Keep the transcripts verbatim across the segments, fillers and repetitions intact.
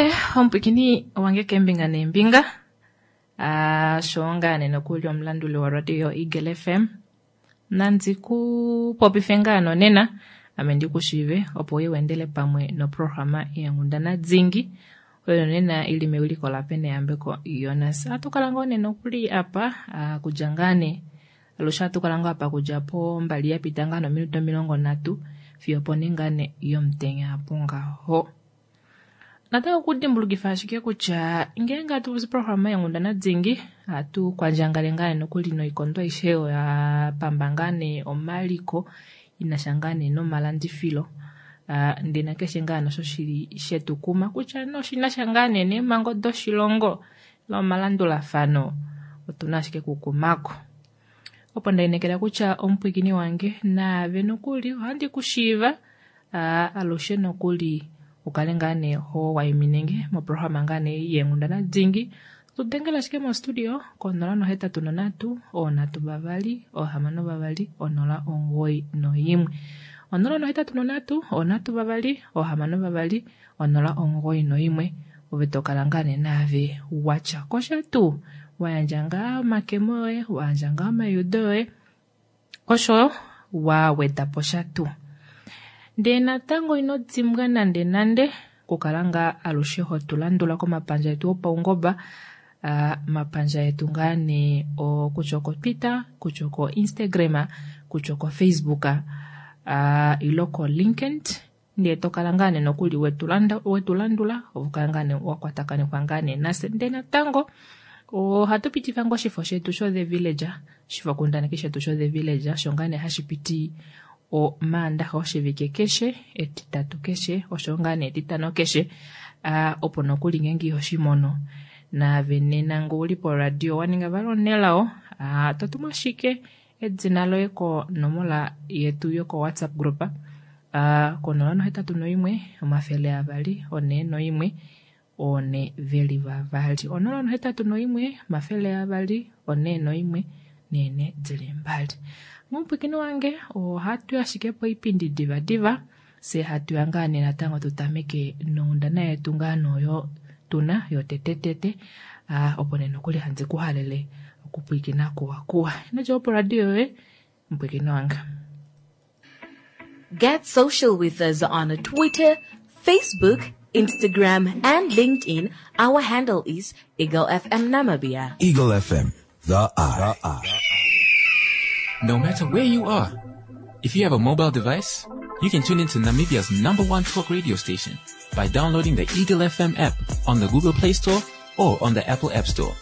Hai, omupwikini wange keembinga neembinga sho ngaa nee nokuli omulanduli woradio Eagle F M nandi ku popife ngaa nonena ame ndikushiive opo uye weendele pamwe noprograma yeenghundana dingi oyo nena ili mewiliko laPeneyambeko Jonas. Ohatu kala ngoo nee nokuli apa kudja ngaa nee alushe ohatu kala ngoo apa kudja pombali yapita ngaa nominute omilongo nhatu fiyo pone ngaa nee yomutenya apo ngaho. Natango okudimbulukifa ashike kutya ngeenge hatu popi programa yeenghundana dingi ohatu kwandjangale ngaa nokuli noikondo aishe oyo ya pamba ngaa nee omaliko inasha ngaa nee nomalandifilo ndee nakeshe ngaa nosho shili shetukuma kutya noshinasha ngaa nee neemhango doshilongo nomalandulafano otuna ashike kukumako. Opo ndainekela kutya omupwikini wange naave nokuli ohandi kushiiva alushe nokuli ukale ngaa nee ho waiminenge moprograma ngaa nee yeenghundana dingi. Tudengela ashike mostudio konola nohetatu nonhatu oonhatu vavali oohamano vavali onola omugoyi noimwe onola nohetatu nonhatu oonhatu vavali oohamano vavali onola omugoyi noimwe ove tokala ngaa nee naave watya kosha tuu wayandja ngaa omakemo yoye wayandja ngaa omaiudo yoye osho waweda po sha tuu. Ndee natango ino dimbwa nande nande okukala ngaa alushe hotulandula komapandja etu opaungoba mapandja etu ngaa nee kutya oko Twitter, kutya oko Instagram, kutya oko Facebook ile ko LinkedIn ndee tokala ngaa nee nokuli wetulandula ove ngaa nee wakwatakanifwa ngaa nee nafye. Ndee natango ohatu pitifa ngoo oshifo shetu sho The Village, oshifo kundaneki shetu sho The Village osho ngaa nee hashi piti omaandaxa oshivike keshe, etitatu keshe, osho ngaa nee etitano keshe opo nokuli ngeenge ihoshimono naave nena ngee uli poradio waninga vali omunelao totumu ashike edina loye konomola yetu yoko WhatsApp group konola nohetatu noimwe omafele avali onhee noimwe one veli vavali onola nohetatu noimwe omafele avali onhee noimwe nene dili mbali. Mupwikini wange ohatu ashike poipindi diva diva se hatu ya ngaa nee natango tutameke nonghundana yetu ngaa noyo tuna yotetetete opo nee nokuli handi kuhalele okupwikina kuwa kuwa. Ino dja poradio yoye mupwikini wange. Get social with us on Twitter, Facebook, Instagram and LinkedIn. Our handle is Eagle F M Namibia. Eagle F M, the eye. The eye. No matter where you are, if you have a mobile device, you can tune into Namibia's number one talk radio station by downloading the Eagle F M app on the Google Play Store or on the Apple App Store.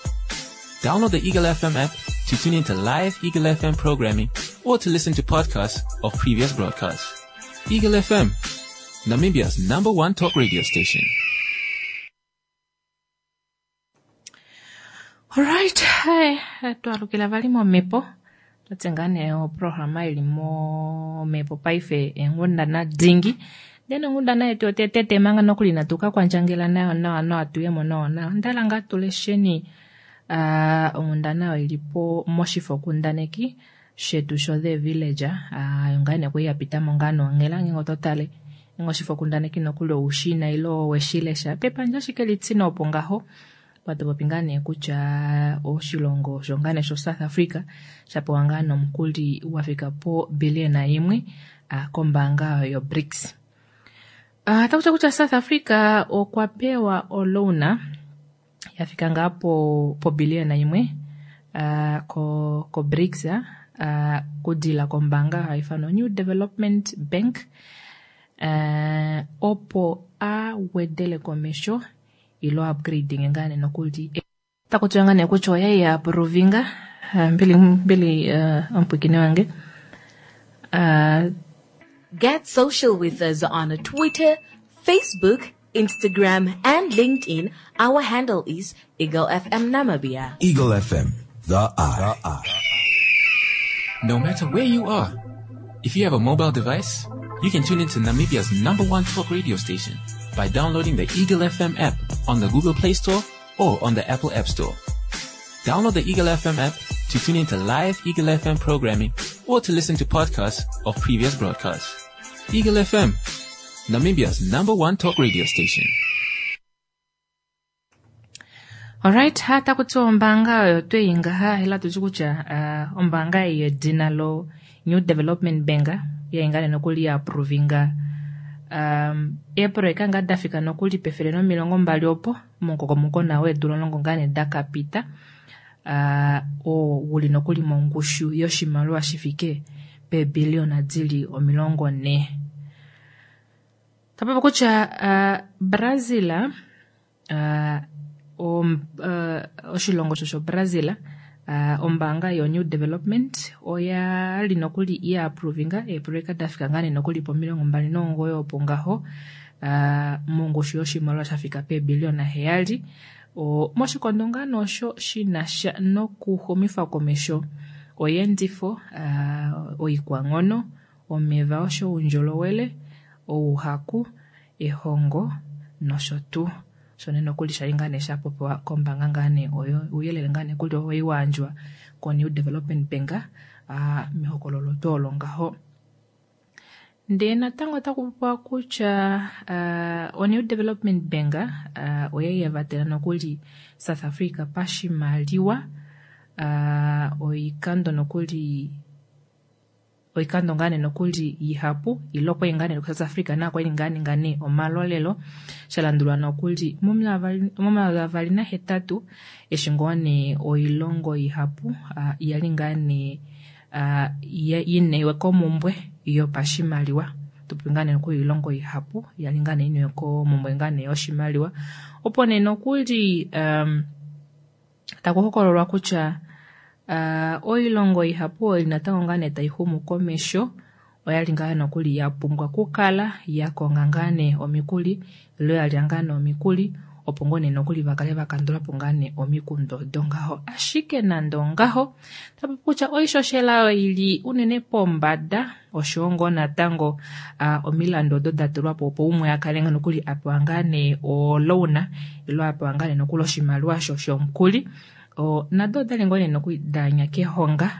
Download the Eagle F M app to tune into live Eagle F M programming or to listen to podcasts of previous broadcasts. Eagle F M, Namibia's number one talk radio station. Alright, hi, twalukila vali momhepo. Twatse ngaa nee oprograma ili momhepo paife eenghundana dingi. Ndee nonghundana yetu yotetete manga nokuli inatu ka kwandjangela nayo nawa nawa tuyemo nawa nawa. Onda ngaa tulesheni onghundana oyo ili po moshifokundaneki shetu sho The Village. Oyo ngaa nee kwali yapitamo ngaa nonghela ngeenge oto tale ngeenge oshifokundaneki nokuli oushina ile oweshilesha pepandja ashike litine opo ngaho. Patopopi ngaa nee kutya oshilongo osho ngaa nee sho South Africa shapewa ngaa nomukuli wafika po billion imwe kombaanga yo BRICS. Otakuti kutya South Africa okwa pewa oloan yafika ngaa po po billion imwe ko ko BRICS kudila kombaanga hayi ithanwa New Development Bank opo awedele komesho ilo upgrading ngaa nee nokuli takuti ngaa nee kutya oya ya approvinga mbili mbili omupwikini wange. Get social with us on Twitter, Facebook, Instagram and LinkedIn. Our handle is Eagle F M Namibia. Eagle F M, the eye. The eye. No matter where you are, if you have a mobile device, you can tune into Namibia's number one talk radio station by downloading the Eagle F M app on the Google Play Store or on the Apple App Store. Download the Eagle F M app to tune into live Eagle F M programming or to listen to podcasts of previous broadcasts. Eagle F M, Namibia's number one talk radio station. Alright, hata kutiwa ombaanga oyo tweyi ngaha ela tuti kutya uh, ombaanga ei yedina lo New Development Bank yainga nee nokuli ya approvinga um, eeproyeka ngaa dafika nokuli pefele nomilongo mbali opo momukokomoko nawo weedula omulongo ngaa nee dakapita uh, oo uli nokuli mongushu yoshimaliwa shifike peebiliyona dili omilongo nhee. Tapopi kutya uh, Brazil uh, om, uh, oshilongo osho shoBrazil uh, ombaanga yo-New Development oya li nokuli ya approvinga eeproyeka dafika ngaa nee nokuli pomilongo mbali nomugoyi opo ngaho uh, mongushu yoshimaliwa shafika peebiliyona heyali o, moshikondo ngaa nee osho shinasha nokuxumifa komesho oyeendifo uh, oikwanghono omeva osho oundjolowele ouhaku ehongo nosho tuu. Sho nee nokuli shali ngaa nee shapopiwa kombaanga ngaa nee oyo ouyelele ngaa nee kuli owai wayandjwa ko-New Development Bank uh, mehokololo tuu olo ngaho. Ndee natango otaku popiwa kutya uh, o-New Development Bank uh, oya yavatela nokuli South Africa pashimaliwa uh, oikando nokuli oikando ngaa nee nokuli ihapu ile okwali ngaa nee South Africa nayo kwali ngaa ninga nee omalolelo shalandulwa nokuli momayovi avali nahetatu eshi ngoo nee oilongo ihapu uh, yali ngaa nee uh, inewe komumbwe yopashimaliwa tupopi ngaa nee nokuli oilongo ihapu yali ngaa nee iniwe komumbwe ngaa nee yoshimaliwa opo nee nokuli um, taku hokololwa kutya Uh, oilongo ihapu oyo natango ngaa nee taixumu komesho oyali ngaa nokuli yapumbwa okukala yakonga ngaa nee omikuli ile yalya ngaa nee omikuli opo ngoo nee nokuli vakale vakandulapo ngaa nee omikundu odo ngaho. Ashike nande ongaho tapopi kutya oishoshela oyo ili unene pombada oshowo ngoo natango uh, omilandu odo datulwapo opo umwe akale ngaa nokuli apewa ngaa nee oloan ile apewa ngaa nee nokuli oshimaliwa sho shomukuli o nado odali ngoo nee nokuli danya kehonga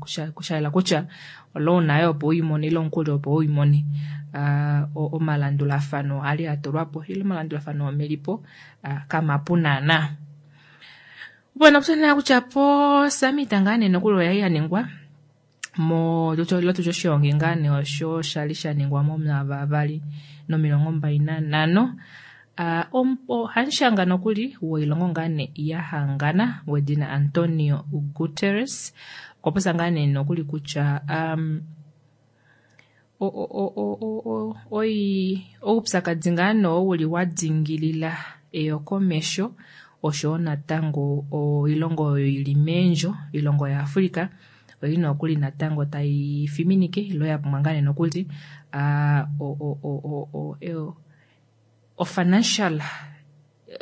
uh, shaela kutya oloan ayo opo uimone ile omukuli opo uimone uh, omalandulafano ali atulwapo ile omalandulafano omelipo uh, kamapu naana. Opo nokutya kutya po summit ngaa nee nokuli oya yaningwa mo lotu oshiongi ngaa nee osho shali shaningwa momayovi avali nomilongo mbali nanhano Uh, hamushanga nokuli woilongo ngaa nee yahangana wedina Antonio Guterres okwa popya ngaa nee nokuli kutya um, oupyakadi ngaa nee oo uli wa dingilila eyokomesho oshowo natango oilongo oyo ili meendjo oilongo yaAfrica oili nokuli natango tai fiminike ile yapumbwa ngaa nee nokuli uh, o, o, o, o, o, o financial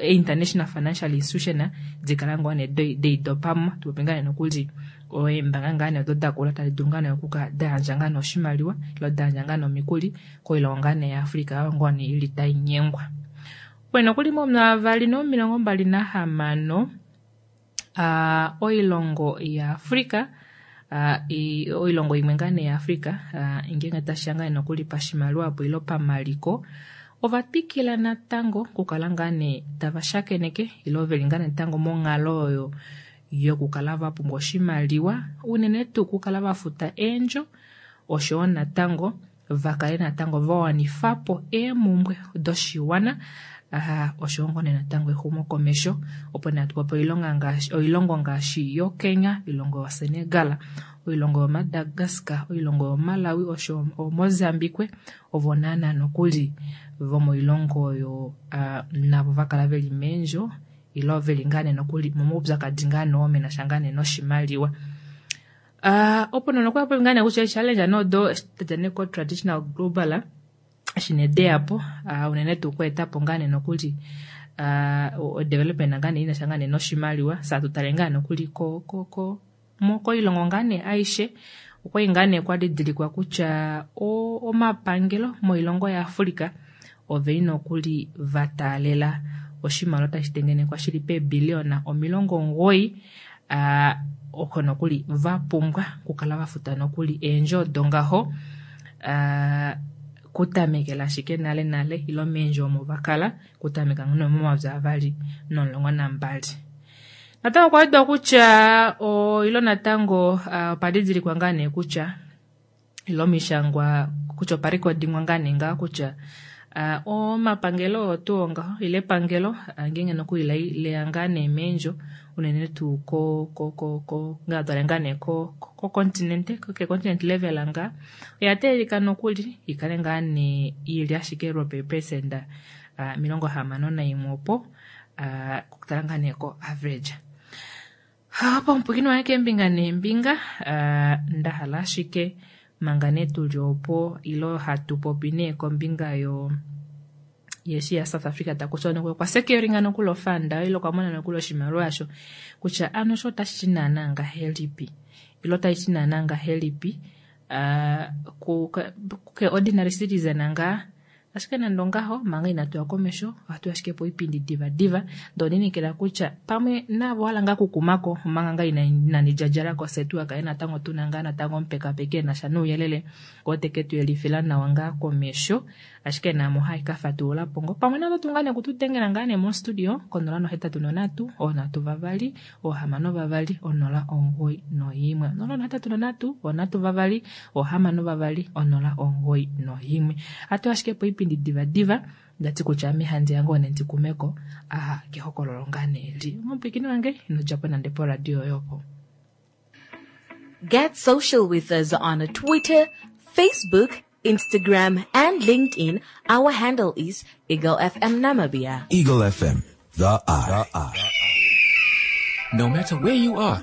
international financial institution dikala ngoo nee deidopamo tupopi ngaa nee nokuli eembanga ngaa nee odo dakula tadi dulu ngaa nee okuka dayandja ngaa nee oshimaliwa ile dayandja ngaa nee omikuli koilongo ngaa nee yaAfrica oyo ngoo nee ili tainyengwa. Opo nokuli momayovi avali nomilongo mbali nahamano uh, oilongo yaAfrica uh, oilongo imwe ngaa nee yaAfrica uh, ngeenge tashiya ngaa nee nokuli pashimaliwa opo ile pamaliko ovatwikila natango okukala ngaa nee tava shakeneke ile veli ngaa natango monghalo oyo yokukala vapumbwa oshimaliwa unene tuu okukala vafuta eendjo oshowo natango vakale natango vawanifapo eemumbwe doshiwana uh, oshowo ngoo nee natango exumokomesho opo nee hatupopi oilongo ngaashi yoKenya, oilongo yoSenegal, oilongo yoMadagascar, oilongo yoMalawi osho oMozambique ovo naana nokuli vomoilongo oyo uh, navo vakala veli meendjo ile veli ngaa nee nokuli momaupyakadi ngaa nee oo menasha ngaa nee noshimaliwa. Uh, opo nee nokuli ngaa nee kutya challenge noodo tadja nee ko traditional global eshi nee deyapo uh, unene tuu okweetapo ngaa nee nokuli uh, development ngaa nee inasha ngaa nee noshimaliwa saa tutale ngaa nokuli ko, ko, ko, koilongo ngaa nee aishe okwali ngaa nee kwadidilikwa kutya omapangelo moilongo yaAfrica oveli nokuli vataalela oshimaliwa tashi tengenekwa shili peebiliyona omilongo omugoyi uh, oko nokuli vapumbwa okukala vafuta nokuli eendjo odo ngaho uh, Kutamekela ashike nale nale ilo meendjo omo vakala kutameka momayovi avali nomulongo nambali. Natango okwa wedwa kutya ilo natango opa didilikwa ngaa nee kutya ilo mishangwa kutya opa rekodingwa ngaa nee ngaa kutya omapangelo oyo tuu ngaho ile epangelo ngeenge nokuli leya ngaa nee meendjo unene tuu ko ko ko ko ngaa twale ngaa nee ko ko continent ke continent level ngaa oya teelelika nokuli ikale ngaa nee ili ashike lwopeepesenda omilongo hamano naimwe opo okutala ngaa nee ko average. Opo omupwiikini wange keembinga neembinga nda hala ashike manga nee tuli opo ilo hatu popi nee kombinga yo yeshi ya South Africa takuti okwa securinga nokuli ofanda ile okwa mona nokuli oshimaliwa asho kutya ano sho otashi ti naana ngahelipi ilo otashi ti naana ngahelipi ke ordinary citizen ngaa ashike nande ongaho manga inatu ya komesho ohatu ashike po oipindi diva diva ndoo ninekela kutya pamwe navo hala ngaa kukumako omanga ngaa inani djadjalako fye tuwakaye natango tuna ngaa natango omupekapeki enasha nouyelele oo teke tu yelifila nawa ngaa komesho ashike naamo hai ka fatululapo ngo pamwe navo tu ngaa nee kutudengela ngaa nee mostudio konola nohetatu nonhatu oonhatu vavali oohamano vavali onola omugoyi noyimwe onola nohetatu nonhatu oonhatu vavali oohamano vavali onola omugoyi noyimwe. Ohatu ashike po oipindi diva diva ndati kutya ame handi yango nendikumeko aha kehokololo ngaa nee li omupwiikini wange ino djapo nande poradio yopo. Get social with us on Twitter, Facebook, Instagram, and LinkedIn. Our handle is Eagle F M Namibia. Eagle F M, the eye. The eye. No matter where you are,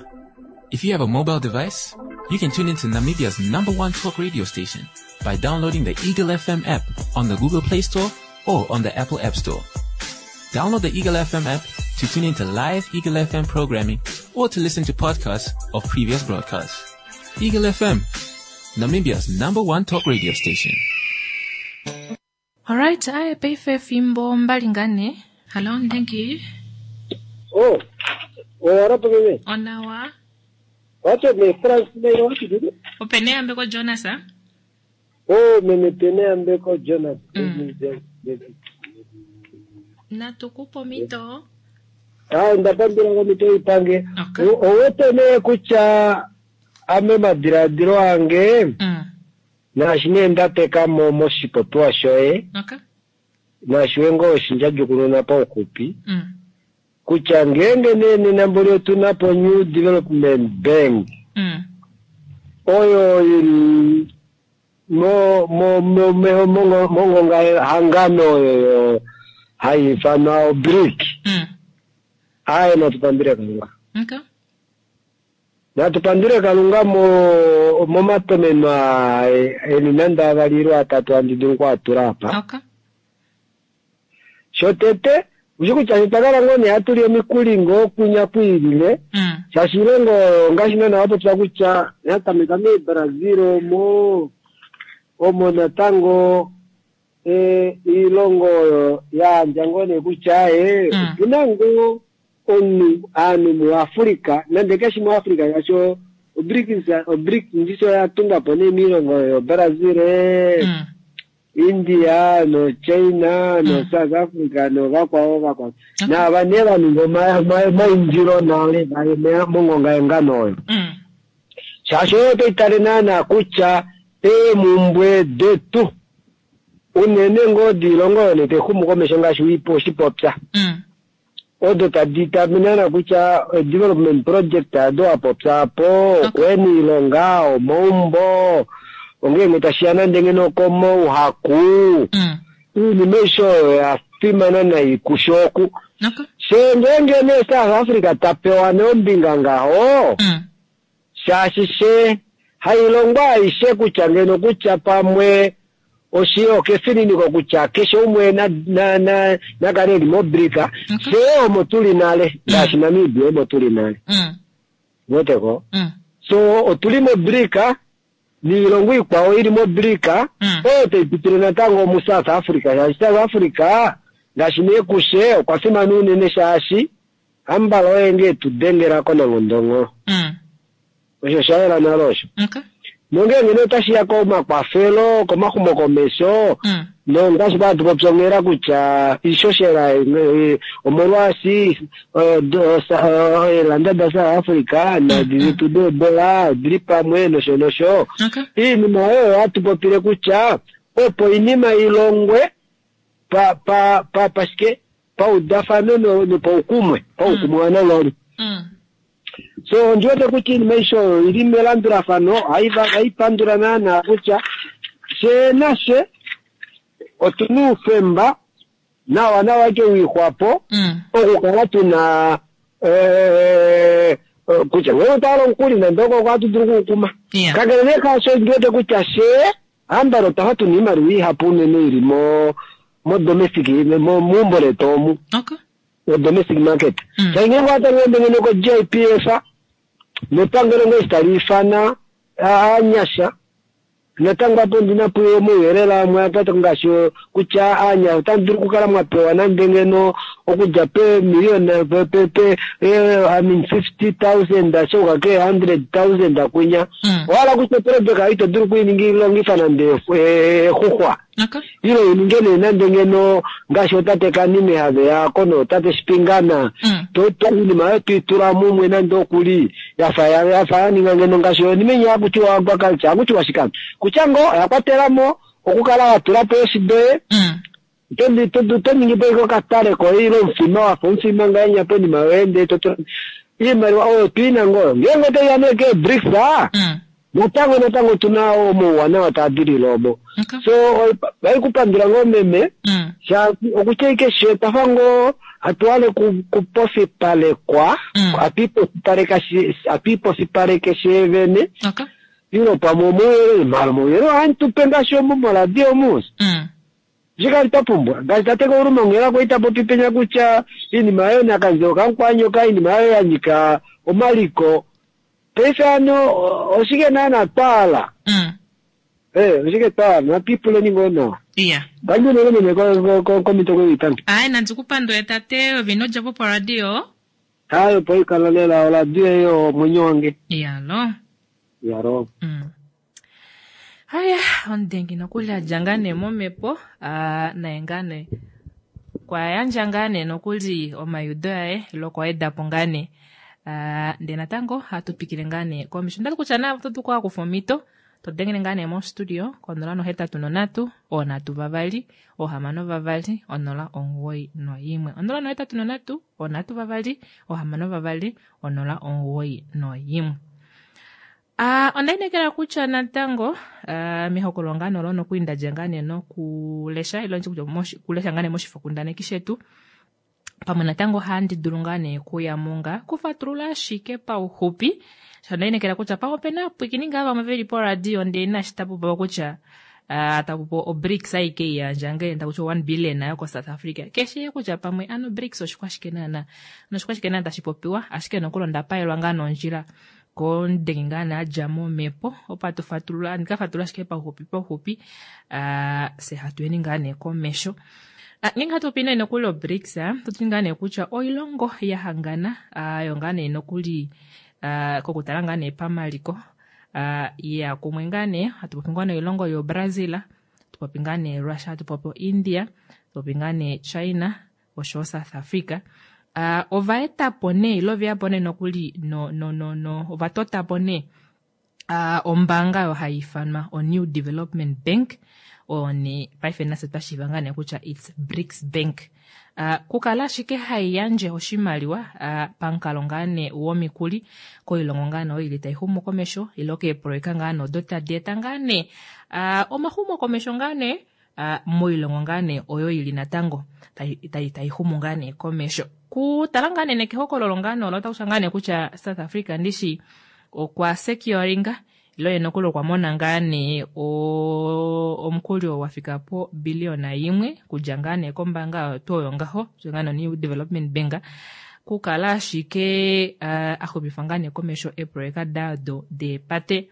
if you have a mobile device, you can tune into Namibia's number one talk radio station by downloading the Eagle F M app on the Google Play Store or on the Apple App Store. Download the Eagle F M app to tune into live Eagle F M programming or to listen to podcasts of previous broadcasts. Eagle F M, Namibia's number one talk radio station. All right, I pay for fimbo mbali ngane. Hello, thank you. Oh, oh, arapo bebe. Onawa. Wacho me France me wacho dudu. Opene ambeko Jonas ah? Oh, mene pene ambeko Jonas. Mm. Na tukupo mito. Ah, ndapambira ngo mito ipange. Okay. Owote ne kucha ame madiladilo ange. Mm. Naashi ndateka mo moshipopiwa shoye. Okay. Naashi wengo oshinja paukupi. Mm. Kutya ngenge nene namboli otunapo New Development Bank. Mm. Oyo ili mo mo mo mo mo mongonga hangano oyo haifanwa brick. Mm. Aye natupambire Kalunga. Okay. Natupandire Kalunga mo momatomeno elinanda avaliro atatu andidungu atura apa. Okay. Shotete ushikucha nitakala ngone atuli omikulingo kunya kuilile. Mm. Shashilengo ngashina na wapo tsakucha yatameka me Brazil mo omo natango e ilongo ya njangone kucha e Mm. tunango onu anu mu Afrika nande keshi mu Afrika yacho obrics obrics ndiso yatunga pone milongo yo Brazil Mm. India no China no Mm. South Africa no vakwao vakwao Okay. na vane vanhu mainjiro nale mongonga enganoyo Mm. shasho toitale nana kucha emumbwe detu unene ngodi ilongo yone tehumu komesho ngaashi wipo oshipopya Mm. odo taditamina kutya development project ado apopya apo okweni ilonga omaumbo ongenge tashiya ndenge nokomo uhaku Mm. iinima isho ya fimana naikushoku Okay. shengenge ne South Africa tapewa neombinga ngaho Mm. shashi she hailongwa aishe kutya ngeno kutya pamwe oshiyo kefininiko kutya keshe umwe na na na nakale li mobrika Okay. she omo tuli nale ngaashi Namibia omo tuli nale Mm. woteko Mm. so otuli mobrika niilongo ikwao ili mobrika Mm. oyo taipitile natango mu South Africa shaashi South Africa ngaashi nekushe okwa fimana unene shaashi ambala oye nge tudengelako nangondongo Mm. osho shayela nalo osho Okay. Nongeenge nee otashi ya komakwafelo, komaxumokomesho, Mm. nongaashi kwa tupopyongela kutya iishoshela eh, omolwaashi eh, do- sa- eh, eelanda da South Africa nadi detu deedola odili pamwe nosho nosho. Okay. Iinima oyo hatu popile kutya opo oinima ilongwe pa pa pa pashike paudafano no- nopaukumwe paukumwe wananghali. Mm. So ondi wete kutya iinima aishe oyo ili melandulafano ohai va- ohai pandula naana kutya she nashe otuna oufemba nawa nawa ike wiixwapo Mm. okukala tuna eh, eh, kutya ngee otwala omukuli nande oko ohatu dulu okuukuma. Yeah. Kakele nee kaasho ondi wete kutya she ambala otwafa tuna iimaliwa ihapu unene ili mo mo domestic mo meumbo letu omu Okay. o domestic market. Mm. Shangenge watangende ngene ko J P F nepangelo ngee tali ifana aanyasha natango apo ndina puyo omauyelele amwe apata ngaashi kutya aanyasha otamu dulu okukala mwapewa nande ngeno okudja pe million pe pe pe eh, I mean fifty thousand shouka ke hundred thousand kwinya Mm. wala kutya project ayi to dulu okuiningi nande eh, exuxwa Okay. ilo ininge nee nande ngeno ngaashi otate Kanime have yako notate Shipingana Mm. to to iinima oyo tuitula mumwe nande okuli yafa ya- yafa yaninga ngeno ngaashi onima inya hakutiwa agriculture hakutiwa shikano kutya ngo oya kwatelamo okukala watulapo eeshi doye Mm. to- to- to ningi po ike okatale koye ile omufima wafa omufima ngahenya ponima yoye ndee to iimaliwa oyo tuina ngoo ngeenge otoiya nee keeBRICS aa Mm. natango natango tuna omauwanawa taa dilile omo. Okay. So oikupandula ngoo meme Mm. shaashi okutya ike she twafa ngoo hatuhale ku- kupofipalekwa Mm. hatuipofipaleka shi- hatuipofipaleke sheevene Okay. ilo pamwe omauyelele mala omauyelele ohantupe ngaashi omu moradio omu Mm. shikali twapumbwa ngaashi tate Kauluma kwali tapopi penya kutya iinima yoyo nakanzilo kamukwanyoka iinima yoyo ya nyika omaliko paife ano o- oshike naana twaala Mm. Eh, oshike twaala natwiipuleni ngoo nawa Yeah. ngandjunene meme komito kwewitangi Ai nandikupandule tate ovino djapo poradio. hayo poikala lela oradio eyo omwenyo wange Yalo. yaro Mm. Haya, omudengi nokuli adja ngaa nee momhepo ah, naye ngaa nee kwa yandja ngaa nee nokuli omayudo aye ile okwa wedapo ngaa nee Ah, ndee natango hatu twikile ngaa nee komesho ondali kutya naave oto dulu okukufa omhito todengele ngaa nee mostudio konola nohetatu nonhatu oonhatu vavali oohamano vavali onola omugoyi noyimwe onola nohetatu nonhatu oonhatu vavali oohamano vavali onola omugoyi noyimwe. Ah, onda inekela kutya natango ah, mehokololo ngaa nee olo nokuli ndadja ngaa nee nokulesha ile nditye kutya moshi- kulesha ngaa nee moshifokundaneki shetu pamwe natango ohandi dulu ngaa nee kuyamo ngaa kufatulula ashike pauxupi sho onda inekela kutya pamwe opena aapwiikini ngaa vamwe veli poradio ndee inashi tapupewa kutya ah, tapupewa oBRICS aike iyandja ngee takutiwa one billion yoko South Africa keshe kutya pamwe ano BRICS oshikwashike naana noshikwashike naana tashi popiwa ashike nokuli onda paelwa ngaa nondjila komudengi ngaa nee adja momhepo opo atufatulula ndikafatulula ashike pauxupi pauxupi ah, fye hatuyeni ngaa nee komesho. Ah, ngeenge hatu popi nee nokuli oBRICS ototi ngaa nee kutya oilongo ya hangana ah, yo ngaa nee nokuli ah, kokutala ngaa nee pamaliko ah, ya kumwe ngaa nee hatu popi ngaa nee oilongo yoBrazil hatu popi ngaa nee Russia hatu popi India hatu popi ngaa nee China oshowo South Africa. Uh, ovaetapo nee ile oveyapo nee nokuli no, no, no, no, ovatotapo nee uh, ombaanga oyo hayi ifanwa o-New Development Bank oyo nee paife nafye twashiiva ngaa nee kutya it's BRICS Bank. Uh, kukala ashike haiyandje oshimaliwa uh, pamukalo ngaa nee womikuli koilongo ngaa nee oyo ili taixumu komesho ile keeproyeka ngaa nee odo tadi eta ngaa nee uh, omaxumo komesho ngaa nee uh, moilongo ngaa nee oyo ili natango taixumu ngaa nee komesho. Kutala ngaa nee nekehokololo ngaa nee olo otakusha ngaa nee kutya South Africa ndishi okwa securinga ilo ye nokuli okwa mona ngaa nee omukuli oo wafika po billiona yimwe kudja ngaa nee kombaanga oyo tuu oyo ngaho kudja ngaa nee New Development Bank kukala ashike uh, axumifa ngaa nee komesho eeproyeka dado deepate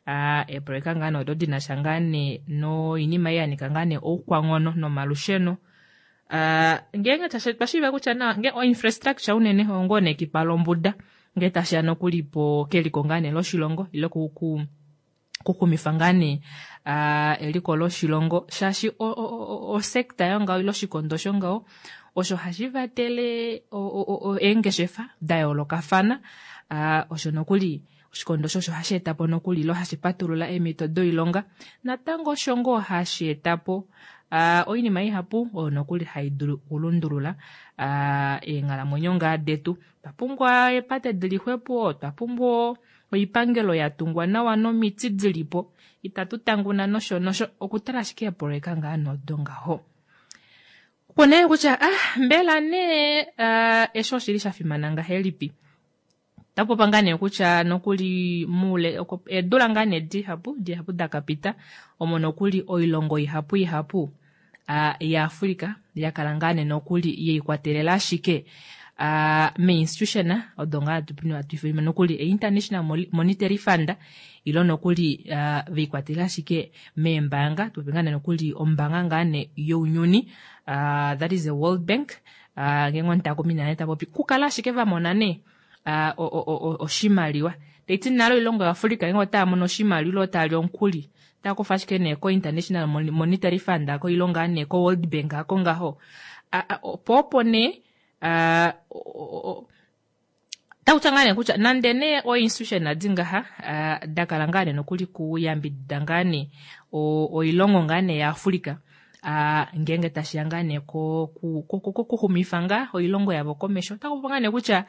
uh, eeproyeka ngaa nee odo dinasha ngaa nee noinima ei yanika ngaa nee oukwanghono nomalusheno. Uh, ngeenge twashiiva kutya nawa nge o-infrastructure unene oyo ngoo nee ekipa lombuda ngee tashiya nokuli po keliko ngaa nee loshilongo ile ku, ku Okuxumifa ngaa nee eliko loshilongo shaashi osekta yongaho ile oshikondo shongaho osho hashi vatele eengeshefa da yoolokafana, osho nokuli oshikondo osho osho hashi etapo nokuli ile hashi patulula eemito doilonga natango osho ngoo hashi etapo oinima ihapu oyo nokuli haidulu okulundulula eenghalamwenyo ngaa detu. Otwa pumbwa eepate dili xwepo, otwa pumbwa oipangelo yatungwa nawa nomiti dilipo, itatu tanguna nosho nosho, okutala ashike eepoloyeka ngaa nodo ngaho. Opo nee kutya ah mbela nee eshi oshili shafimana ngahelipi? Otapopa ngaa nee kutya nokuli muule eedula ngaa nee dihapu dihapu dakapita omo nokuli oilongo ihapu ihapu yaAfrika yakala ngaa nee nokuli yeikwatelela ashike meinstitution odo ngaa hatu ifana nokuli International Monetary Fund ilo nokuli veikwatelela ashike meembaanga, tupope ngaa nee nokuli ombaanga ngaa nee younyuni, that is the World Bank, ngeenge omutakumi nale tapopi kukala ashike vamona nee oshimaliwa. Taiti nale oilongo yaAfrika ngeenge otaya mono oshimaliwa ile otali omukuli otaya kufa ashike nee ko International Monetary Fund ako ile ngaa nee ko World Bank ako ngaho, opo opo nee takutya ngaa nee kutya nande nee oinstitution adi ngaha dakala ngaa nee nokuli kuyambidida ngaa nee oilongo ngaa nee yaAfrika ngeenge tashiya ngaa nee kokuxumifa ngaa oilongo yavo komesho, otakupopi ngaa nee kutya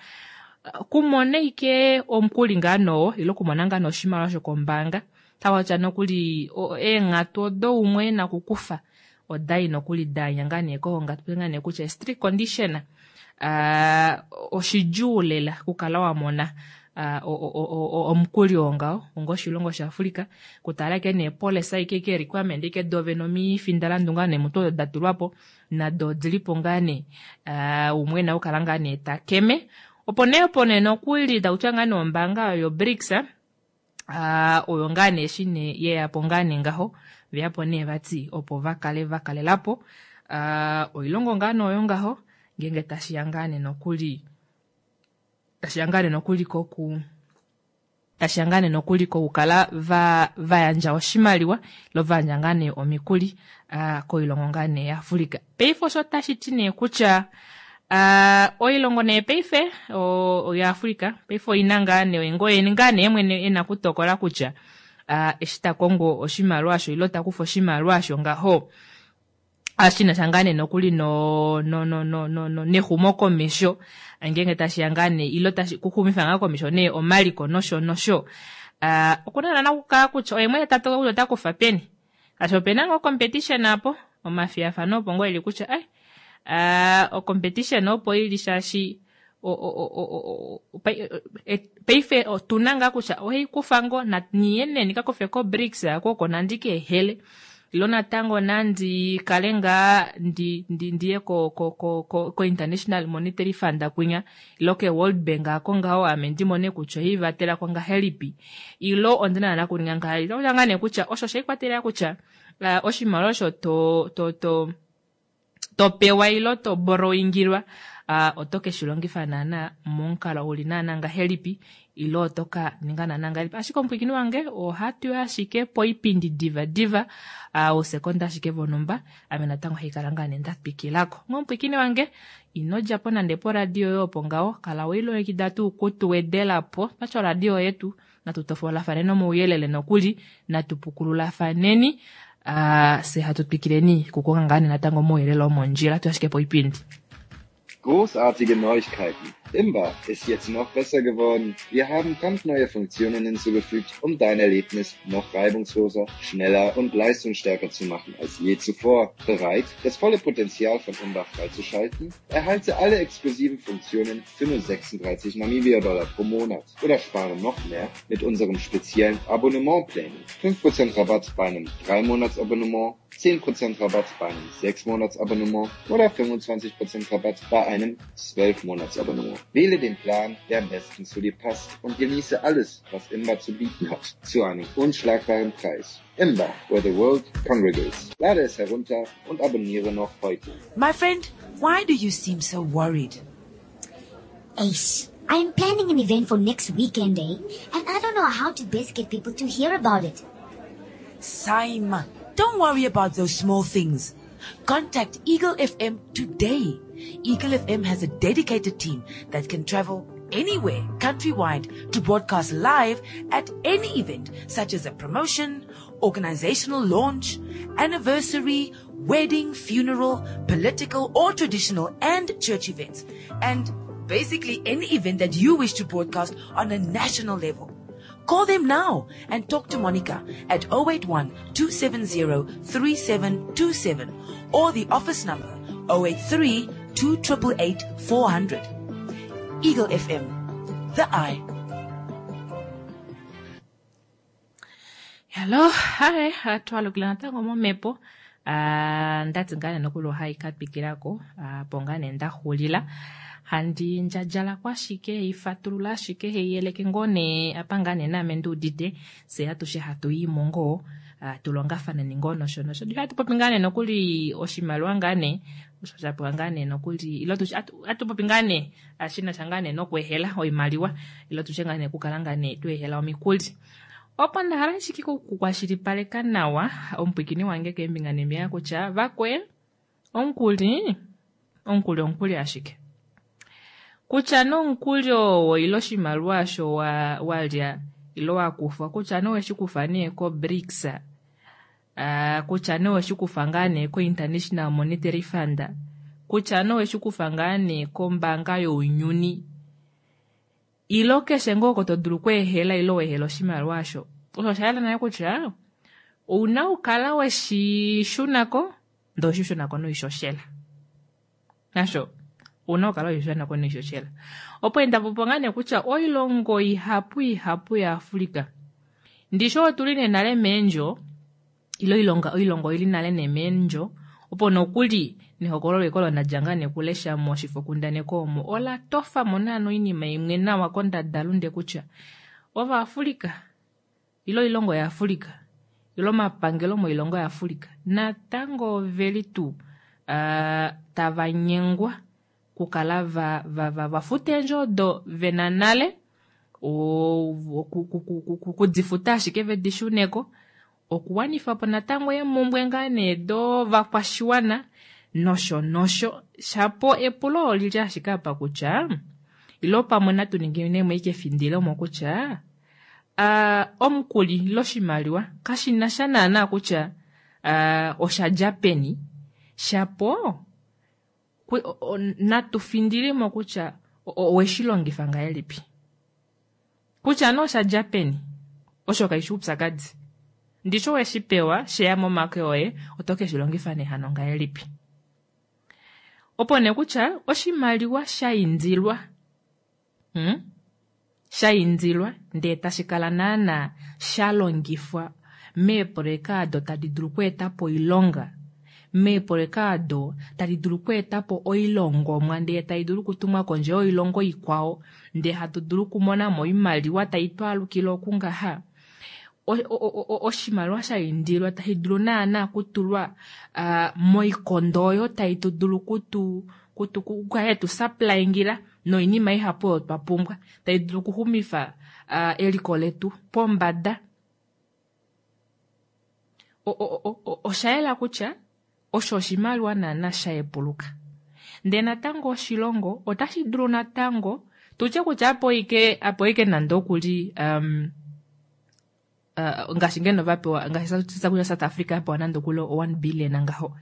kumona ike omukuli ngaa noo ile okumona ngaa nee oshimaliwa shokombaanga, takutya nokuli eenghatu odo umwe ena okukufa odai nokuli danya ngaa nee kohonga, tupe ngaa nee kutya strict condition oshidjuu lela okukala wamona omukuli oo ngaho onga oshilongo shaAfrika, kutala ke nee policy ike ke requirement ike dove nomifindalandu ngaa nee mutu odo datulwapo nado odilipo ngaa nee umwe ena okukala ngaa nee takeme. Opo nee opo nee nokuli takutya ngaa nee ombaanga yo BRICS oyo ngaa nee eshi nee yeyapo ngaa nee ngaho veyapo nee vati opo vakale vakalelapo oilongo ngaa nee oyo ngaho ngeenge tashiya ngaa nee nokuli tashiya ngaa nee nokuli koku tashiya ngaa nee nokuli kokukala va vayandja oshimaliwa lo vayandja ngaa nee omikuli koilongo ngaa nee yaAfrika. Paife osho tashi ti nee kutya oilongo nee paife oyaAfrika paife oina ngaa nee ngoye ngaa nee mwene ena kutokola kutya eshi takongo oshimaliwa osho ilo takufa oshimaliwa osho ngaho ashinasha ngaa nee nokuli no no no no no nexumokomesho ngeenge tashiya ngaa nee ilo tashi kuxumifa ngaa komesho nee omaliko nosho nosho, okuna naana okukala kutya oye mwene tatokola kutya otakufa peni, shaashi opena ngoo competition apo omafiyafano opo ngoo eli kutya ai ocompetition opo ili shaashi paife otuna ngaa kutya ohaikufa ngoo niye nee ndikakufe ko BRICS ako oko nandi keehele ilo natango nandi kale ngaa ndi ndiye ko ko ko ko International Monetary Fund kwinya ilo ke World Bank ako ngaho ame ndimone kutya oivatela ko ngahelipi ilo ondina naana kuninga ngahelipi. Otakutya ngaa nee kutya osho shaikwatelela kutya oshimaliwa osho to to to topewa ilo to borrowingilwa oto keshilongifa naana momukalo uli naana ngahelipi ilo oto ka ninga naana ngahelipi. Ashike omupwiikini wange ohatu ashike poipindi diva diva ousekonda ashike vonumba ame natango haikala ngaa nee ndatwikilako. Omupwiikini wange ino djapo nande poradio yoye opo ngaho, kala weilongekida tuu kutuwedelapo twatya oradio yetu natu tofolafaneni omauyelele nokuli natu pukululafaneni se hatu twikileni kukonga ngaa nee natango omauyelele omondjila tu ashike poipindi. Großartige Neuigkeiten. Imba ist jetzt noch besser geworden. Wir haben brandneue Funktionen hinzugefügt, um dein Erlebnis noch reibungsloser, schneller und leistungsstärker zu machen als je zuvor. Bereit, das volle Potenzial von Imba freizuschalten? Erhalte alle exklusiven Funktionen für nur sechsunddreißig Namibia-Dollar pro Monat oder spare noch mehr mit unserem speziellen Abonnementplänen. fünf Prozent Rabatt bei einem drei Monats Abonnement, zehn Prozent Rabatt bei einem sechs Monats Abonnement oder fünfundzwanzig Prozent Rabatt bei einem zwölf Monats Abonnement. Wähle den Plan, der am besten zu dir passt und genieße alles, was Imba zu bieten hat, zu einem unschlagbaren Preis. Imba, where the world congregates. Lade es herunter und abonniere noch heute. My friend, why do you seem so worried? Ace, I'm planning an event for next weekend, eh? And I don't know how to best get people to hear about it. Saima, don't worry about those small things. Contact Eagle F M today. Eagle F M has a dedicated team that can travel anywhere countrywide to broadcast live at any event, such as a promotion, organizational launch, anniversary, wedding, funeral, political or traditional and church events, and basically any event that you wish to broadcast on a national level. Call them now and talk to Monica at oh eight one two seven zero three seven two seven or the office number oh eight three two eight eight eight four hundred. Eagle F M, the Eye. Hello, hi, twalukila natango momhepo. Ah, ndati ngaa nee nokuli ohai ka twikilako ah, po ngaa nee ndaxulila handi ndjadjalako ashike ifatulula ashike heiyeleke ngoo nee apa ngaa nee naame nduudite fye atushe hatu yimo ngoo ah, tulongafaneni ngoo nosho nosho hatu popi ngaa nee nokuli oshimaliwa ngaa nee osho shapewa ngaa nee nokuli ilo tushe atu popi ngaa nee shinasha ngaa nee nokweehela oimaliwa ilo tushe ngaa nee okukala ngaa nee tweehela omikuli. Opo nda hala ashike okukwashilipaleka nawa omupwikini wange keembinga neembinga kutya vakwe omukuli omukuli omukuli ashike kutya nomukuli oo ile oshimaliwa osho walya ile wakufwa kutya nee oweshikufa nee ko BRICS, uh, kutya nee oweshikufa ngaa nee ko International Monetary Fund, kutya nee oweshikufa ngaa nee kombaanga younyuni ilo keshe ngoo oko to dulu okweehela ile weehela oshimaliwa osho, osho osha yela nale kutya ouna okukala weshi shunako ndee oweshi shunako noishoshela nasho ouna okukala weshi shunako noishoshela. Opo ndapopa ngaa nee kutya oilongo ihapu ihapu yaAfrica ndishi otuli nee nale meendjo ilo oilongo oili nale nee meendjo opo nokuli nehokololo eko olo ndadja ngaa nee kulesha moshifokundaneko omo ola tofamo naana oinima imwe nawa kondadalunde kutya ovaAfrica ilo oilongo yaAfrica ilo omapangelo moilongo yaAfrica natango oveli tuu uh, tava nyengwa kukala va, va, va, vafuta eendjo odo vena nale kudifuta ashike vedi shuneko okuwanifa po natango eemumbwe ngaa nee dovakwashiwana nosho nosho. Shapo epulo olili ashike apa kutya ilo pamwe natu ninginemo ashike efindilo kutya uh, omukuli ilo oshimaliwa kashina sha naana kutya uh, oshadja peni shapo natu findilemo kutya oweshi longifa ngahelipi kutya nee oshadja peni osho kaishi oupyakadi ndishi oweshi pewa sheya momake oye oto keshi longifa nee hano ngahelipi. Opo nee kutya oshimaliwa sha indilwa hmm? sha indilwa ndee tashi kala naana sha longifwa meeprojeka ado tadi dulu okweetapo oilonga meeprojeka ado tadi dulu okweetapo oilongomwa ndee tai dulu okutumwa kondje yoilongo ikwao ndee hatu dulu okumonamo oimaliwa tai twaalukile okungaha oshimaliwa sha indilwa tashi dulu naana okutulwa uh, moikondo oyo tai tu dulu kutu kutu kukala tu supplyingila noinima ihapu oyo twa pumbwa tai dulu okuxumifa uh, eliko letu pombada. Osha yela kutya osho oshimaliwa naana sha yepuluka ndee natango oshilongo otashi dulu natango tutye kutya apo ike apo ike nande okuli um, uh, ngaashi ngeno vapewa ngaashi kutya South Africa yapewa nande okuli one billion ngaho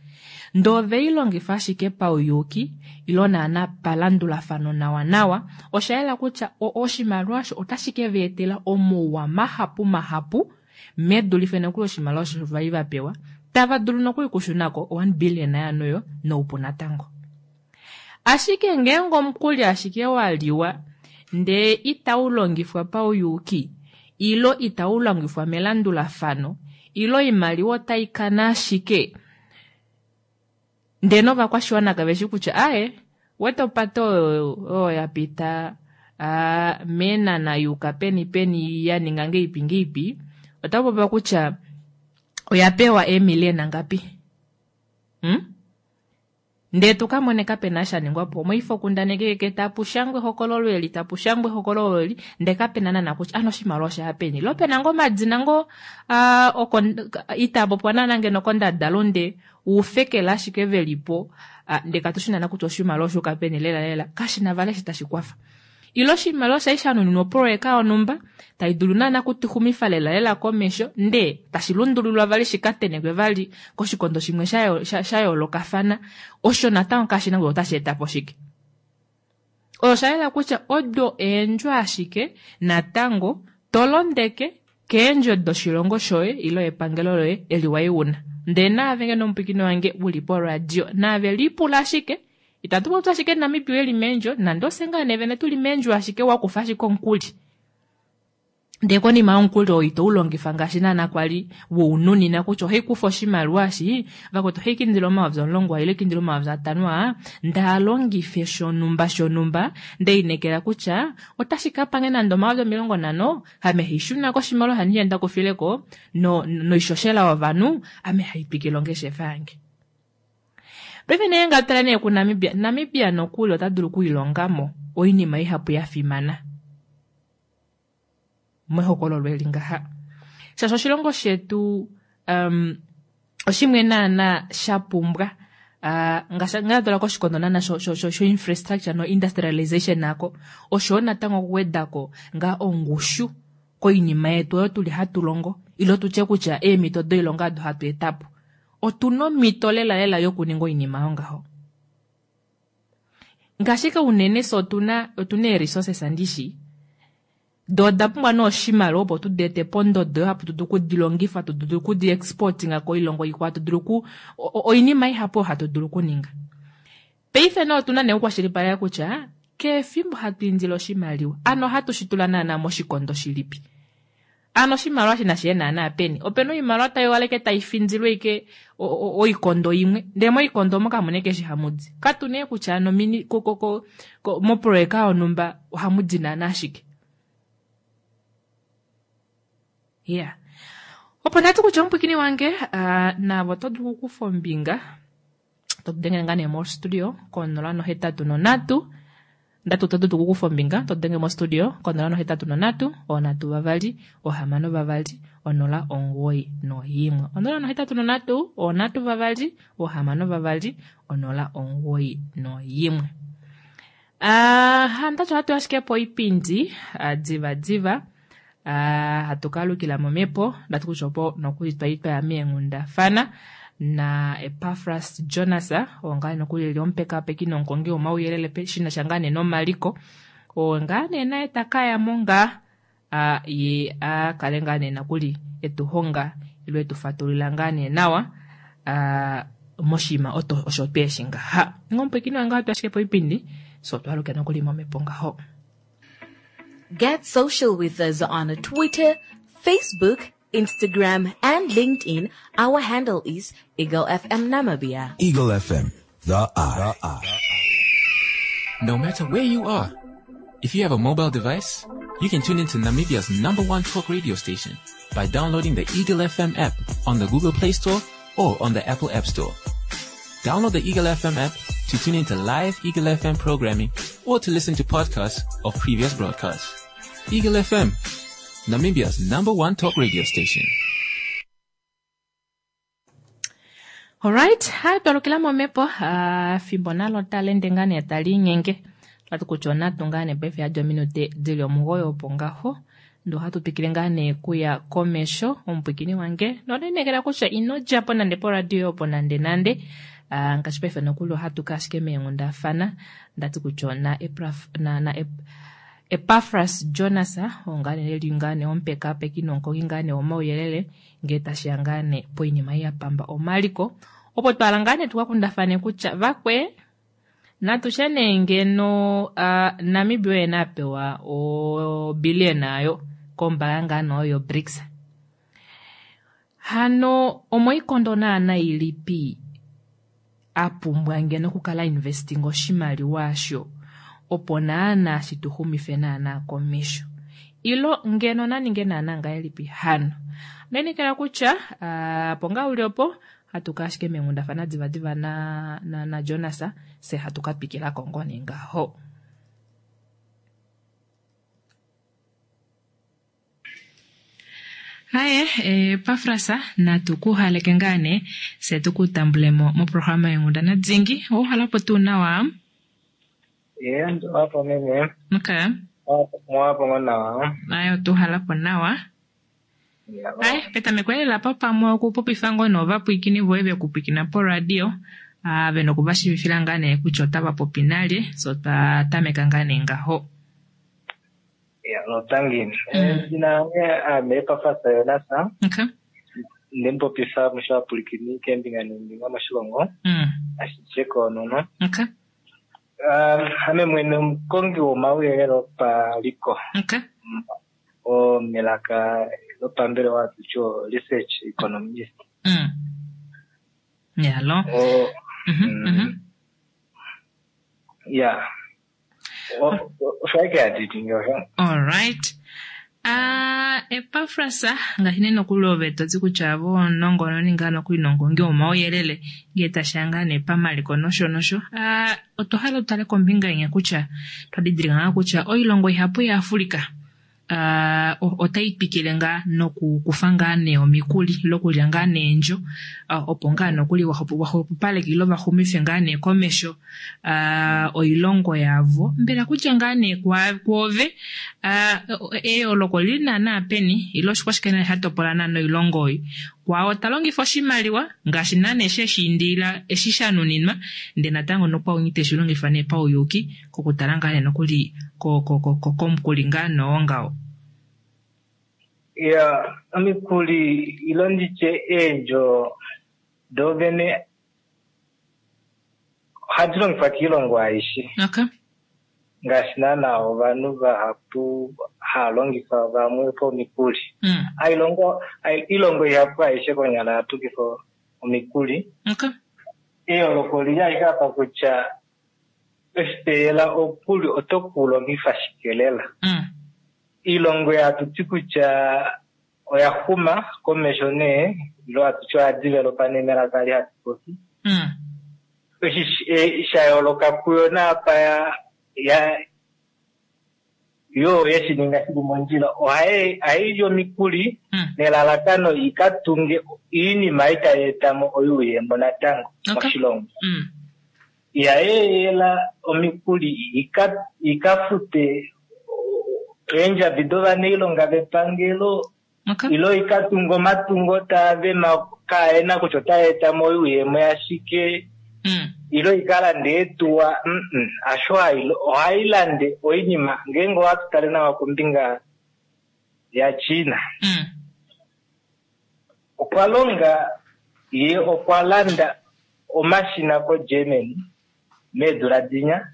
ndee oveilongifa ashike pauyuuki ilo naana palandulafano nawa nawa osha yela kutya oshimaliwa osho otashi ke va etela omauwa mahapu mahapu medulife nokuli oshimaliwa osho vali vapewa tava dulu nokuli okushunako one billion yaanoyo noupu natango. Ashike ngeenge omukuli ashike waliwa ndee itau longifwa pauyuuki ilo itau longifwa melandulafano ilo oimaliwa otai kana ashike ndee novakwashiwana kaveshi kutya aye wete opate oyo oyo yapita uh, meenana yuuka peni peni ya ninga ngeipi ngeipi otapopiwa kutya oya pewa eemiliona ngapi hmm? Ndee tu ka mone kapena sha ningwa po moifokundaneki keke tapu shangwa ehokololo eli tapu shangwa ehokololo eli ndee kapena naana kutya ano oshimaliwa osha peni lo pena ngoo omadina ngoo uh, itaa popiwa naana ngeno kondadalunde ufekela ashike velipo uh, ndee katushi naana kutya oshimaliwa oshuuka peni lela lela kashina vali eshi tashi kwafa. Ilo oshimaliwa osha li sha nuninwa oproyeka yonhumba tai dulu naana kutuxumifa lela lela komesho ndee tashi lundululwa vali shikatenekwe vali koshikondo shimwe sha yoolokafana osho natango kashina kutya otashi eta po shike. Osha yela kutya odo eendjo ashike natango tolondeke keendjo doshilongo shoye ilo epangelo loye eli wai una. Ndee naave ngeno omupwikini wange uli poradio naave lipula ashike itatu popi ashike Namibia eli meendjo nande ofye ngaa nee vene tuli meendjo ashike wakufa ashike omukuli. Ndee konima yomukuli oo ito ulongifa ngaashi naana kwali woununina kutya ohaikufa oshimaliwa eshi vakwetu ohaikindile omayovi omulongo ile kindile omayovi atano aa ndaalongife shonhumba shonhumba ndeinekela kutya otashi kapange nande omayovi omilongo nhano ame haishuna koshimaliwa handi ndakufileko no noishoshela yovanhu ame haitwikile ongeshefa yange. Paife nee ngatala nee kuNamibia, Namibia nokuli ota dulu okuilongamo oinima ihapu ya fimana mehokololo eli ngaha. Shaashi oshilongo shetu um, oshimwe naana sha pumbwa uh, ngaashi ngatala koshikondo naana sho, sho, sho, sho infrastructure no industrialization nako osho natango okuwedako ngaa ongushu koinima yetu oyo tuli hatu longo ilo tutye kutya eemhito doilonga ado hatu etapo. Otuna omhito lela lela yokuninga oinima yongaho. Ngaashi unene fye otuna otuna ee-resources andishi doo oda pumbwa nee oshimaliwa opo tudi ete pondodo oyo hapu dulu okudilongifa hatu dulu okudi exportinga koilongo ikwao hatu dulu oku oinima ihapu oyo hatu dulu okuninga. Paife nee otuna nee okukwashilipaleka kutya kehe hatu indile oshimaliwa ano ohatu shi tula naana moshikondo shilipi. Ano oshimaliwa shi nashiye naana peni opena oimaliwa tai waleke tai findilwe ike oikondo imwe ndee moikondo omo kamuna ike eshi hamudi katu nee kutya ano mini ko, ko, ko, ko, moproyeka yonhumba ohamudi naana ashike. Yeah. Opo ndati kutya omupwikini wange uh, navo oto dulu okukufa ombinga to denge ngaa nee mostudio konola nohetatu nonhatu ndati oto dulu okukufa ombinga to denge mostudio konola nohetatu nonhatu onhatu vavali ohamano vavali onola omugoyi noyimwe onola nohetatu nonhatu onhatu vavali ohamano vavali onola omugoyi noyimwe. Uh, ndati ohatu ashike po oipindi uh, diva diva uh, hatu kalukila momhepo ndati kutya opo nokuli twali twaya meenghundafana na Epafras Jonas oo ngaa nokuli eli omupekapeki nomukongi womauyelele shina sha ngaa nee nomaliko oo ngaa nee naye takayamo ngaa uh, ye akale ngaa nee nokuli etuhonga ilo etufatulila ngaa nee nawa uh, moshinima oto osho tweeshi ngaha. Ngomupwikini wange ohatu ashike po oipindi so twaluke nokuli momhepo ngaho. Get social with us on Twitter, Facebook, Instagram, and LinkedIn. Our handle is Eagle F M Namibia. Eagle F M, the eye. The eye. No matter where you are, if you have a mobile device, you can tune into Namibia's number one talk radio station by downloading the Eagle F M app on the Google Play Store or on the Apple App Store. Download the Eagle F M app to tune into live Eagle F M programming or to listen to podcasts of previous broadcasts. Eagle F M, Namibia's number one talk radio station. Alright, hai twalukila momhepo uh, fimbo nalo talende ngaa nee tali inyenge tati kutya onatu ngaa nee paife yadi ominute dili omugoyi opo ngaho ndee ohatu twikile ngaa nee kuya komesho omupwikini wange nonenekela kutya ino djapo nande poradio opo nande nande uh, ngaashi paife nokuli ohatu ka ashike meenghundafana ndati kutya ona Epraf, na, na Ep, Epafras Jonas oo ngaa nee eli ngaa nee omupekapeki nomukongi ngaa nee womauyelele ngee tashiya ngaa nee poinima ei ya pamba omaliko opo twala ngaa nee tukakundafane kutya vakwe natushe nee ngeno uh, Namibia oye na apewa obillion ayo kombaanga ngaa nee oyo BRICS. Hano omoikondo naana ilipi a pumbwa ngeno okukala investing oshimaliwa asho opo naana shi tu xumife naana komesho ilo ngeno naninge naana ngahelipi hano. Ndenikela kutya uh, po ngaa uli opo Hatu ka ashike meenghundafana divadiva na, na, na Jonas, se hatu ka twikilako ngoo nee ngaho. Haye, Epafras, natu ku haleke ngaa nee, se tu ku tambulemo moprograma yenghundana dingi. Ouhalapo tuu nawa? Ye, wapo meme. Okay. Mwapo ngo nawa. Aye, otuhalapo nawa. Aye, petameko elela pa pamwe okupopifa ngoo novapwiikini voye vekupwikina poradio, ah, vena okuvashivifila ngaa nee kutya otava popi nalye, so twa tameka ngaa nee ngaho. Ya, notangi. Edina lange ame Epafras Jonas. Okay. Ndemupopifa moshivapwilikini keembinga neembinga moshilongo. Mm. Ashishe koonono. Okay. Um, ame mwene omukongi womauyelele opaliko. Okay. O melaka lopambelewa hatu ti o research economist. Mm. Yalo. O, Mhm, mhm. ya. Osho ashike handi ningi osho. Alright. Ah, Epafras, ngaashi nee nokuli ove toti kutya vo omunongononi ngaa nokuli nomukongi womauyelele ngee tashiya ngaa nee pamaliko nosho nosho. Ah, otwa hala tutale kombinga inya kutya twa didilika ngaa kutya oilongo ihapu yaAfrica uh, otai twikile ngaa nokukufa ngaa nee omikuli ile okulya ngaa neendjo, uh, opo ngaa nokuli vaxupupaleke ile vaxumife ngaa nee komesho uh, oilongo yavo. Mbela kutya ngaa nee kwoove uh, eyooloko lili naana peni ile oshikwashike nee sha topola naana oilongo oyo? Kwao ta longifa oshimaliwa ngaashi naana eshi eshiindilila eshi sha nuninwa, ndee natango nokwaunyi teshi longifa nee pauyuki kokutala ngaa nee nokuli komukuli ngaa noongaho. Ya, omikuli ilo nditye eendjo dovene ohadi longifwa kiilongo aishe. Okay. Ngaashi naana ovanhu vahapu hava longifa vamwe pomikuli. Mm. Ailongo, ilongo ihapu aishe konyala hatu kufa omikuli. Okay. Eyooloko lili ashike apa kutya oshiteela omukuli oto kulongifa shike lela. Mm. Ilongo hatu ti kutya oya xuma komesho nee, ilo hatu ti oya developa nee melaka li hatu popi. Mm. Eshi sha yooloka kuyo naapa ya ya yo yeshi ninga shili mondjila, ohayi li omikuli nelalakano ika tunge iinima itayi etamo oyuuyemo natango moshilongo. Ihayi omikuli ika ika fute eendjabi dovanailonga vepangelo, ilo ika tunge omatungo taavema kaena kutya otaa etamo oyuuyemo yashike, ilo ikalande eetuwa. Asho ohayi lande oinima. Ngeenge ohatu tale nawa kombinga yaChina, okwa longa ye okwa landa omashina koGermany meedula dinya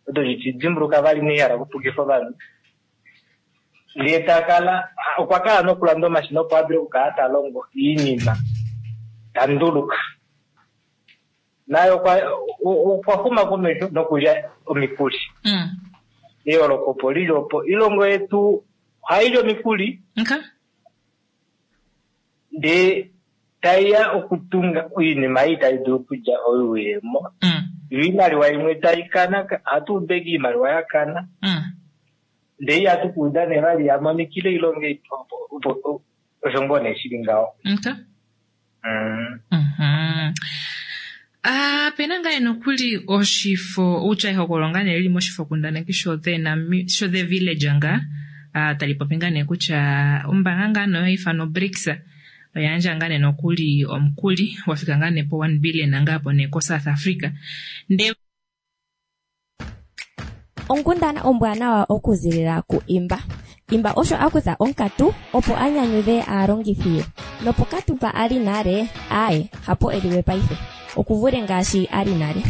odo dimbuluka vali nehala okupukifa ovanhu. Ndee takala okwa kala nokulanda omashina opo a dule okukala ta longo iinima ta nduluka. Naye okwa xuma komesho nokulya omikuli. Eyooloko opo lili opo. Ilongo yetu ohayi li omikuli, ndee taiya okutunga oinima ei tayi dulu okulya oyuuyemo. Yo iimaliwa imwe tayi kana, ohatu ubeke iimaliwa ya kana. Ndee ihatu kuuda nee vali ya monikile ilongo ei osho ngoo nee shili ngaho. Ah, pena ngaa nokuli oshifo utya ehokolo ngaa nee lili moshifo kundaneki sho the sho the village ngaa ah, tali popi ngaa nee kutya ombaanga ngaa noyo ifano BRICS oyandja ngaa nee nokuli omukuli wafika ngaa nee po one billion ngaa po nee ko South Africa. Nde Onkundana ombwanawa okuzilila ku Imba. Imba osho akutha onkatu opo anyanyudhe aalongithi ye. Nopokatu mpa ali nale, aye, hapo eliwe paife. Okuvule ngaashi ali nale.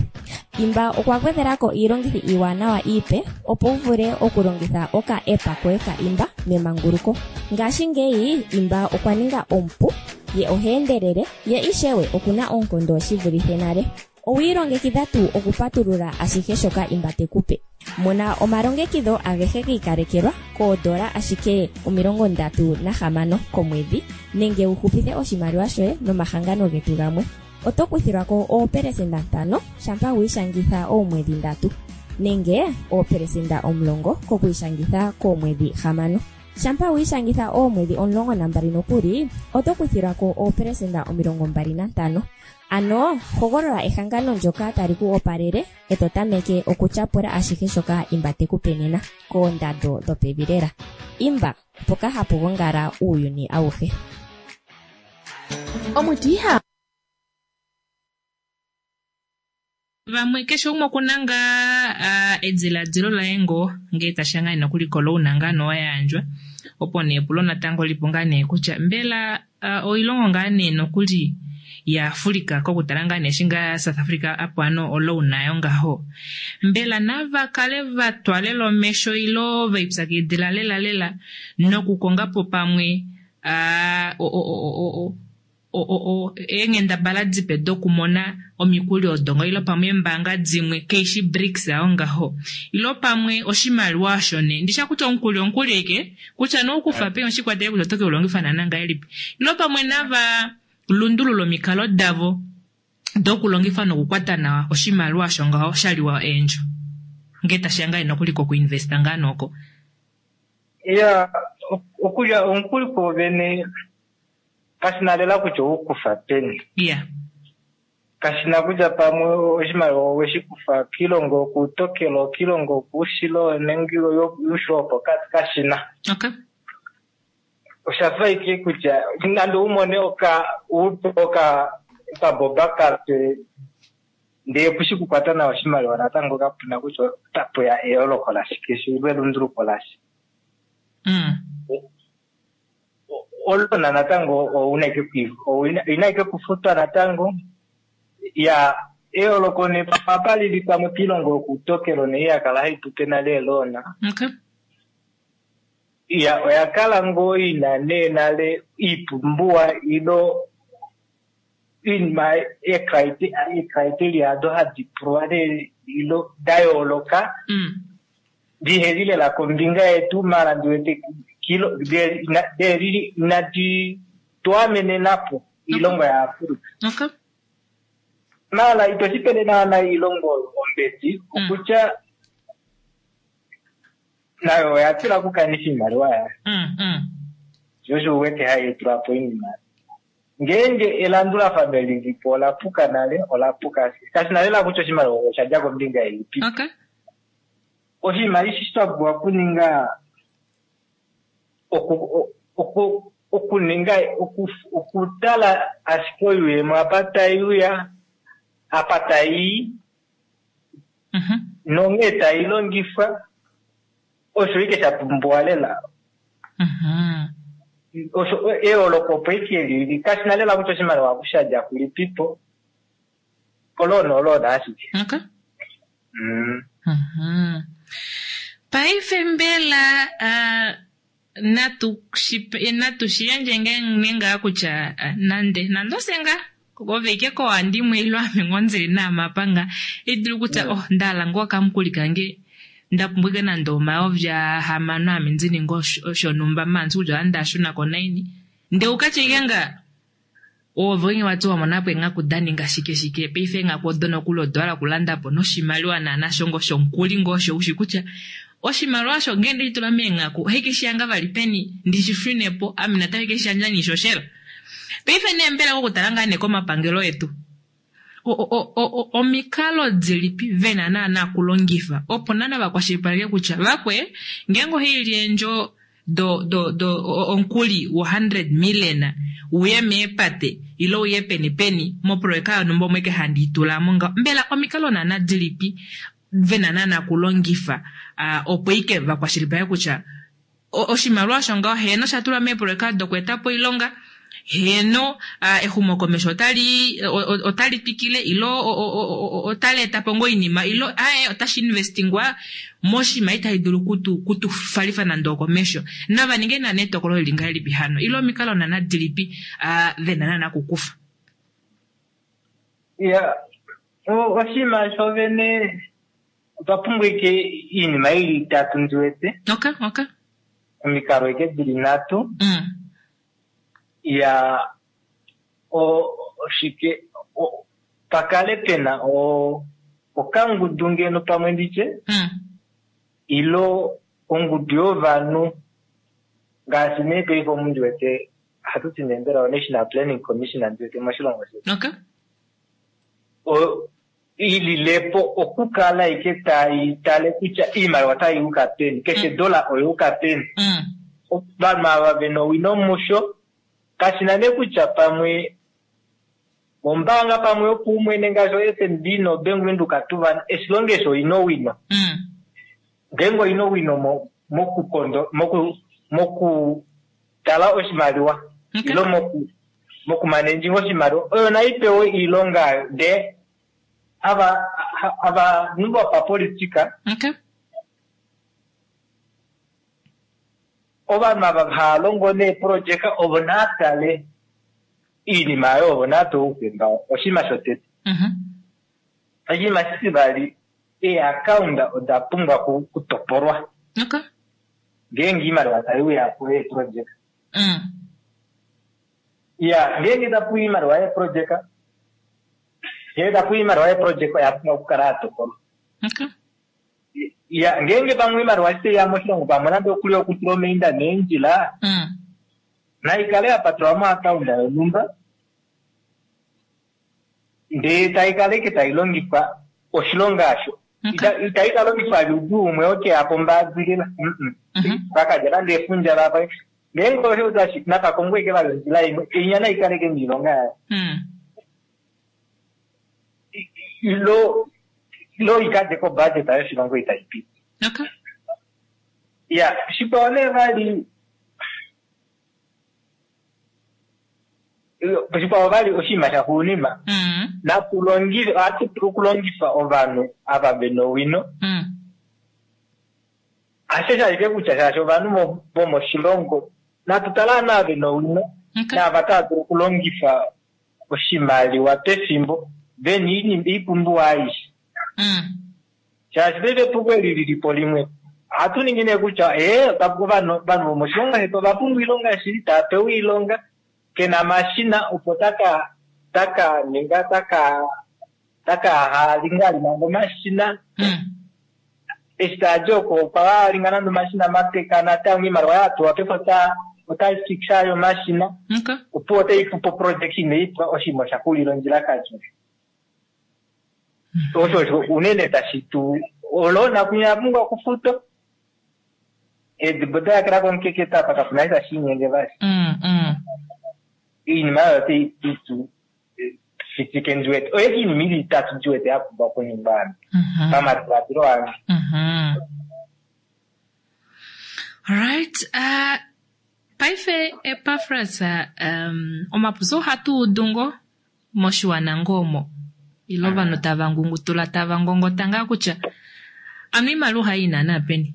Imba okwa gwedhelako iilongithi iiwanawa iipe opo wu vule okulongitha oka app koye ka Imba memanguluko. Ngashingeyi Imba okwa ninga omupu, ye oha endelele, ye ishewe okuna oonkondo shi vulithe nale. Owiilongekidha tuu okupatulula ashihe shoka Imba te kupe. Mona omalongekidho agehe gi ikalekelwa koodola ashike omilongo ndatu nahamano komwedhi, nenge wu hupithe oshimaliwa shoye nomahangano getu gamwe. Oto kuthilwa ko oopelesenda ntano shampa wiishangitha oomwedhi ndatu nenge oopelesenda omulongo kokwiishangitha koomwedhi hamano. Shampa wiishangitha oomwedhi omulongo nambali nokuli oto kuthilwa ko oopelesenda omilongo mbali nantano. Ano hogolola ehangano ndyoka tali ku opalele e to tameke okutyapula ashihe shoka Imba te ku pe nena koondando dhopevi lela. Imba, mpoka hapu gongala uuyuni awuhe. Omuti iha Vamwe keshe umwe okuna ngaa ah, ediladilo laye ngoo ngee tashiya ngaa nokuli kolouna ngaa nee yayandjwa opo nee epulo natango lipo ngaa nee kutya mbela ah, oilongo ngaa nee nokuli yaAfrica kokutala ngaa nee eshi ngaa South Africa apo ano olouna yo ngaho mbela nava kale vatwa lela omesho ilo veipyakidila lela lela nokukongapo pamwe ah, o- o- o- o- o- o- o- o- eenghendabala dipe dokumona omikuli odo ngo ilo pamwe eembanga dimwe keishi BRICS ayo ngaho ilo pamwe oshimaliwa osho nee ndisha kutya omukuli omukuli aike kutya noukufa peni oshikwatele kutya oto keulongifa naana ngahelipi ilo pamwe nava lundulula omikalo davo dokulongifa nokukwata nawa oshimaliwa osho ngaho shaliwa eendjo ngee tashiya ngaa nokuli kokuinvesta ngaa nooko. Ya, okulya omukuli kwoovene kashina lela kutya oukufa peni. Yeah. Kashina kutya pamwe oshimaliwa oweshi kufa kiilongo yokuutokelo, kiilongo yokuushilo nenge yuushilo wopokati, kashina. Okay. Oshafa ike kutya nande u mone oka upe oka okaboba kape ndee kushi kukwata nawa oshimaliwa natango kapuna kutya otapuya eyooloko lashike sho ilo elunduluko lasha. Mm. Olona natango ouna ike oina ike kufutwa natango. Ya, eyooloko nee apa lili pamwe kiilongo yokuutokelo nee yakala hai tupe nale eeloona. Okay. Ya, oya kala ngoo ina nee nale iipumbiwa ilo iinima eecriteria ado hadi pulwa nee ilo da yooloka Mm. diheli lela kombinga yetu mala ndiwete kilo deli inadi twamenenapo iilongo ya Afrika. Okay. Mala ito shipele naana iilongo ombedi okutya nayo oya tila okukanitha iimaliwa yayo. Mm, mm. Sho osho uwete hai tula po iinima. Ngeenge elandulafano lilipo ola puka nale, ola puka ashike. Kashina lela kutya oshimaliwa osha dja kombinga ilipi. Okay. Oshinima eshi twa pumbwa okuninga oku oku okuninga oku okutala ashike oyuuyemo apa tai uya, apa tai Mhm. nonghee tai longifwa, osho ike sha pumbiwa lela. Mhm. Osho eyooloko opo ike lili, kashina lela kutya oshimaliwa oku sha dja kulipipo, oloona oloona ashike. Okay. Mm. Mhm. Paife mbela ah, natu shi natu shi yandje nge ngaa kutya ah, nande nande ose ngaa ove ike koohandimwe ilo ame ngoo ndili naamapanga idulu kutya oh ndahala ngoo okamukuli kange ndapumbwa ike nande omayovi ahamano ame ndi ninge shonhumba maanzi kutya ohandi ashunako naini ndee ukatye ike nga ove onye wati wamonapo eenghaku daninga shike shike paife eenghaku odo nokuli odo hala okulandapo noshimaliwa naana shongo shomukuli ngoo osho ushi kutya oshimaliwa osho ngee ndeshitula meenghaku ohaike vali peni ndishishunepo ame natango ike shiyandja niishoshela. Paife nee mbela kokutala ngaa nee komapangelo etu omikalo dilipi vena naana okulongifa opo naana vakwashilipaleke kutya vakwe ngeenge ohaili eendjo do do do omukuli wo hundred million uye meepate ilo uye peni peni moprojeka yonhumba omo ike handi itulamo ngaho mbela omikalo naana dilipi vena naana okulongifa uh, opo ike vakwashilipaleke kutya oshimaliwa osho ngaho heeno osha tulwa meeprojeka dokweetapo oilonga heeno uh, exumokomesho otali otali twikile ilo otali etapo ngoo oinima ilo aye otashi investingwa moshinima itashi dulu kutu kutufalifa nande okomesho nava ninge naana etokolo lili ngahelipi hano ilo omikalo naana dilipi uh, vena naana okukufa. Ya, oshinima shovene otwa pumbwa ike iinima ili itatu ndi wete. Okay, okay. Omikalo ike dili nhatu. Mm. Ya, oshike o- pakale pena o okangudu ngeno pamwe nditye Mm. ilo ongudu yovanhu ngaashi nee paife omu ndiwete ohatu ti nee mbela o-National Planning Commission ndiwete moshilongo shetu Okay. O- ililepo okukala ike tai tale kutya iimaliwa otai yuka peni keshe dola oyuka peni Mm. ovanhu ava vena owino musho kashina nee kutya pamwe ombaanga pamwe yopaumwene ngaashi o-F N B no-Bank Windhoek tuva eshilongo eshi oina owino Mm. ngeenge oina owino mo- mokukondo moku mokutala oshimaliwa Okay. ilo moku mokumanenjinga oshimaliwa oyo naipewe iilonga ndee ava ovanhu vopapolitika Okay. ovanhu ava hava longo neeprojeka ovo naatale iinima ayo ovo naapewe oufemba oshinima shotete Mhm. oshinima shitivali eeakaunda oda pumbwa ku- kutopolwa Okay. ngeenge iimaliwa tai uya po yeeprojeka Mm. ya ngeenge tapu iimaliwa yeeprojeka ngeenge tapu iimaliwa yeeprojeka oya pumbwa okukala ya topolwa Okay. ya ngeenge pamwe iimaliwa eshi taiya moshilongo pamwe nande okuli okutula omainda meendjila Mm. naikale ya patulwa moakaunda yonhumba ndee taikala ike tailongifwa oshilonga asho Okay. Ita- itaika longifwa ludu umwe okeya pombaadilila Mhm. vakalya nande efundja lapa ngeenge osho tashi nakakongwe ike vali ondjila imwe inya naikale ike miilonga yayo Mm. ilo ilo ikadje kobudget yoshilongo itai piti Okay. ya shikwao nee vali shikwao vali oshinima shaxuuninwa Mm. natulongife ohatu dulu okulongifa ovanhu ava vena owino Mm. hasho ashike kutya shaashi ovanhu mo- vomoshilongo natu tale ovanhu ava vena owino Okay. naava tava dulu okulongifa oshimaliwa pefimbo vena iinima iipumbiwa aishe Mm. shaashi paife epuko eli lilipo limwe ohatu ningi nee kutya ee ovanhu ovanhu vomoshilongo shetu ova pumbwa oilonga shili tava pewa oilonga kena omashina opo taka taka ninga taka taka halinga manga omashina Mm. eshi taadi oko okwa halinga nande omashina mapeka natango iimaliwa yatuwa paife ota otai fixa yo omashina Okay. opo otai pupo project ineipwa oshinima osha xulila ondjilakati osho osho unene tashi tu olona kunya pumbwa okufutwa edibo dayakela komukeketa apa kapuna eshi tashi inyenge vali Mm. Mm. iinima oyo otai itu fitike ndiwete oyo iinima ili itatu ndiwete ya pumbwa okuningwa ame Mhm. pamadiladilo ange Mhm. Alright, uh, paife Epafras, um, omapuso ohatu udu ngo moshiwana ngoo omo ilo ovanhu tava ngungutula tava ngongota ngaa kutya ano iimaliwa ohayi naana peni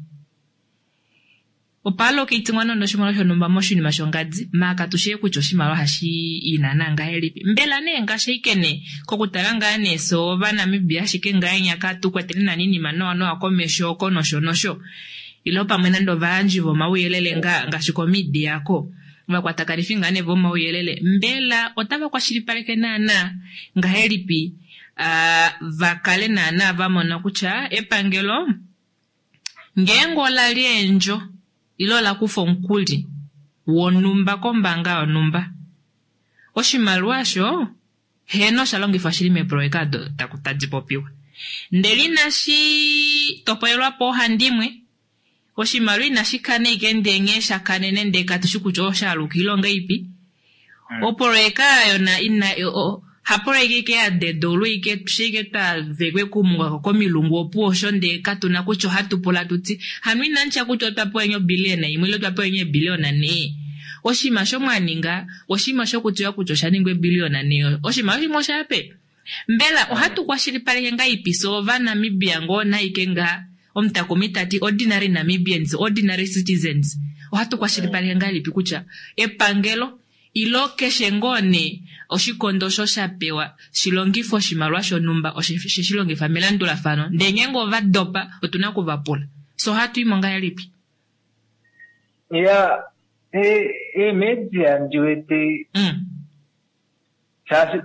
opo alocatingwa nande oshimaliwa shonhumba moshinima shongadi maa katushii kutya oshimaliwa ohashi i naana ngahelipi mbela nee ngaashi ashike nee kokutala ngaa nee fye ovanamibia ashike ngahenya katukwetele nani iinima nawa nawa komesho oko nosho nosho ilo pamwe nande ovayandji vomauyelele nga ngaashi komidia ko ovakwatakanifi ngaa nee vomauyelele mbela otava kwashilipaleke naana ngahelipi uh, vakale naana vamona kutya epangelo ngeenge ola li eendjo ilo ola kufa omukuli wonhumba kombaanga yonhumba oshimaliwa osho heno osha longifwa shili meeproyeka odo tadi popiwa ndele inashi topolelwa poohandimwe oshimaliwa inashi kana ike ndee nghee sha kanene ndee katushi kutya osha aluka ilonga ipi opoloyeka yona ina hapoloyeka ike ya dedoulwa ike shike twavekwe kumungwako komilungu opuwo osho ndee katuna kutya ohatu pula tuti hano inanditya kutya otwa pewa enye obiliyona imwe ile otwa pewa enye ebiliyona nhee oshinima shomwaninga oshinima shokutiwa kutya osha ningwa ebiliyona nhee oshinima shimwe osha pe mbela ohatu kwashilipaleke ngahelipi fye ovanamibia ngoo naike ngaa omutakumi tati ordinary Namibians ordinary citizens ohatu kwashilipaleke ngahelipi kutya epangelo ilo keshe ngoo nee oshikondo osho sha pewa shilongife oshimaliwa shonhumba oshe shi longifa melandulafano ndee ngeenge ova dopa otuna okuvapula so ohatu imo ngahelipi ya eemedia ndiwete mm. shaashi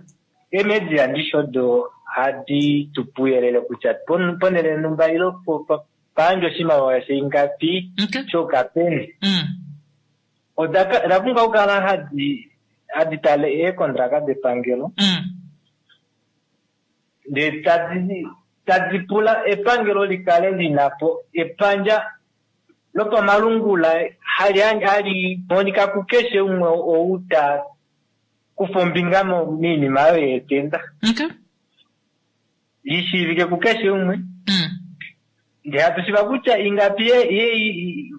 Eemedia ndisho odo hadi tu puyelele kutya pon- ponhele yonhumba ilo po- po- payandjwa oshimaliwa shaingapi shuuka peni. Oda ka- oda pumbwa okukala hadi hadi tale eekondraka depangelo ndee tadi tadi pula epangelo likale lina po epandja lopamalungula hali hali monika kukeshe umwe ou ta kufa ombinga mo- moinima oyo yeetenda. Lishiivike kukeshe umwe. Ndee hatu shiiva kutya ingapi ye ye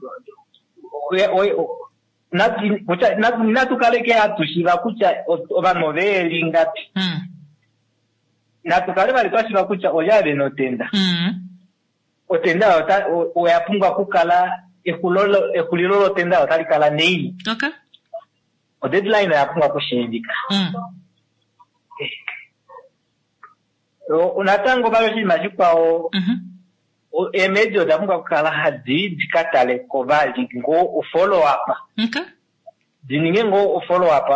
natu kutya natu natu kaleke hatu shiiva kutya ovanhu oveyeli ingapi. Natu kale vali twa shiiva kutya olya vena otenda. Otenda ota oya pumbwa okukala exulo exulilo lotenda otali kala naini. Okay. O deadline oya pumbwa okushiivika. Natango vali oshinima shikwao, eemedia oda pumbwa okukala hadi di ka taleko vali ngoo follow up. Di ninge ngoo follow up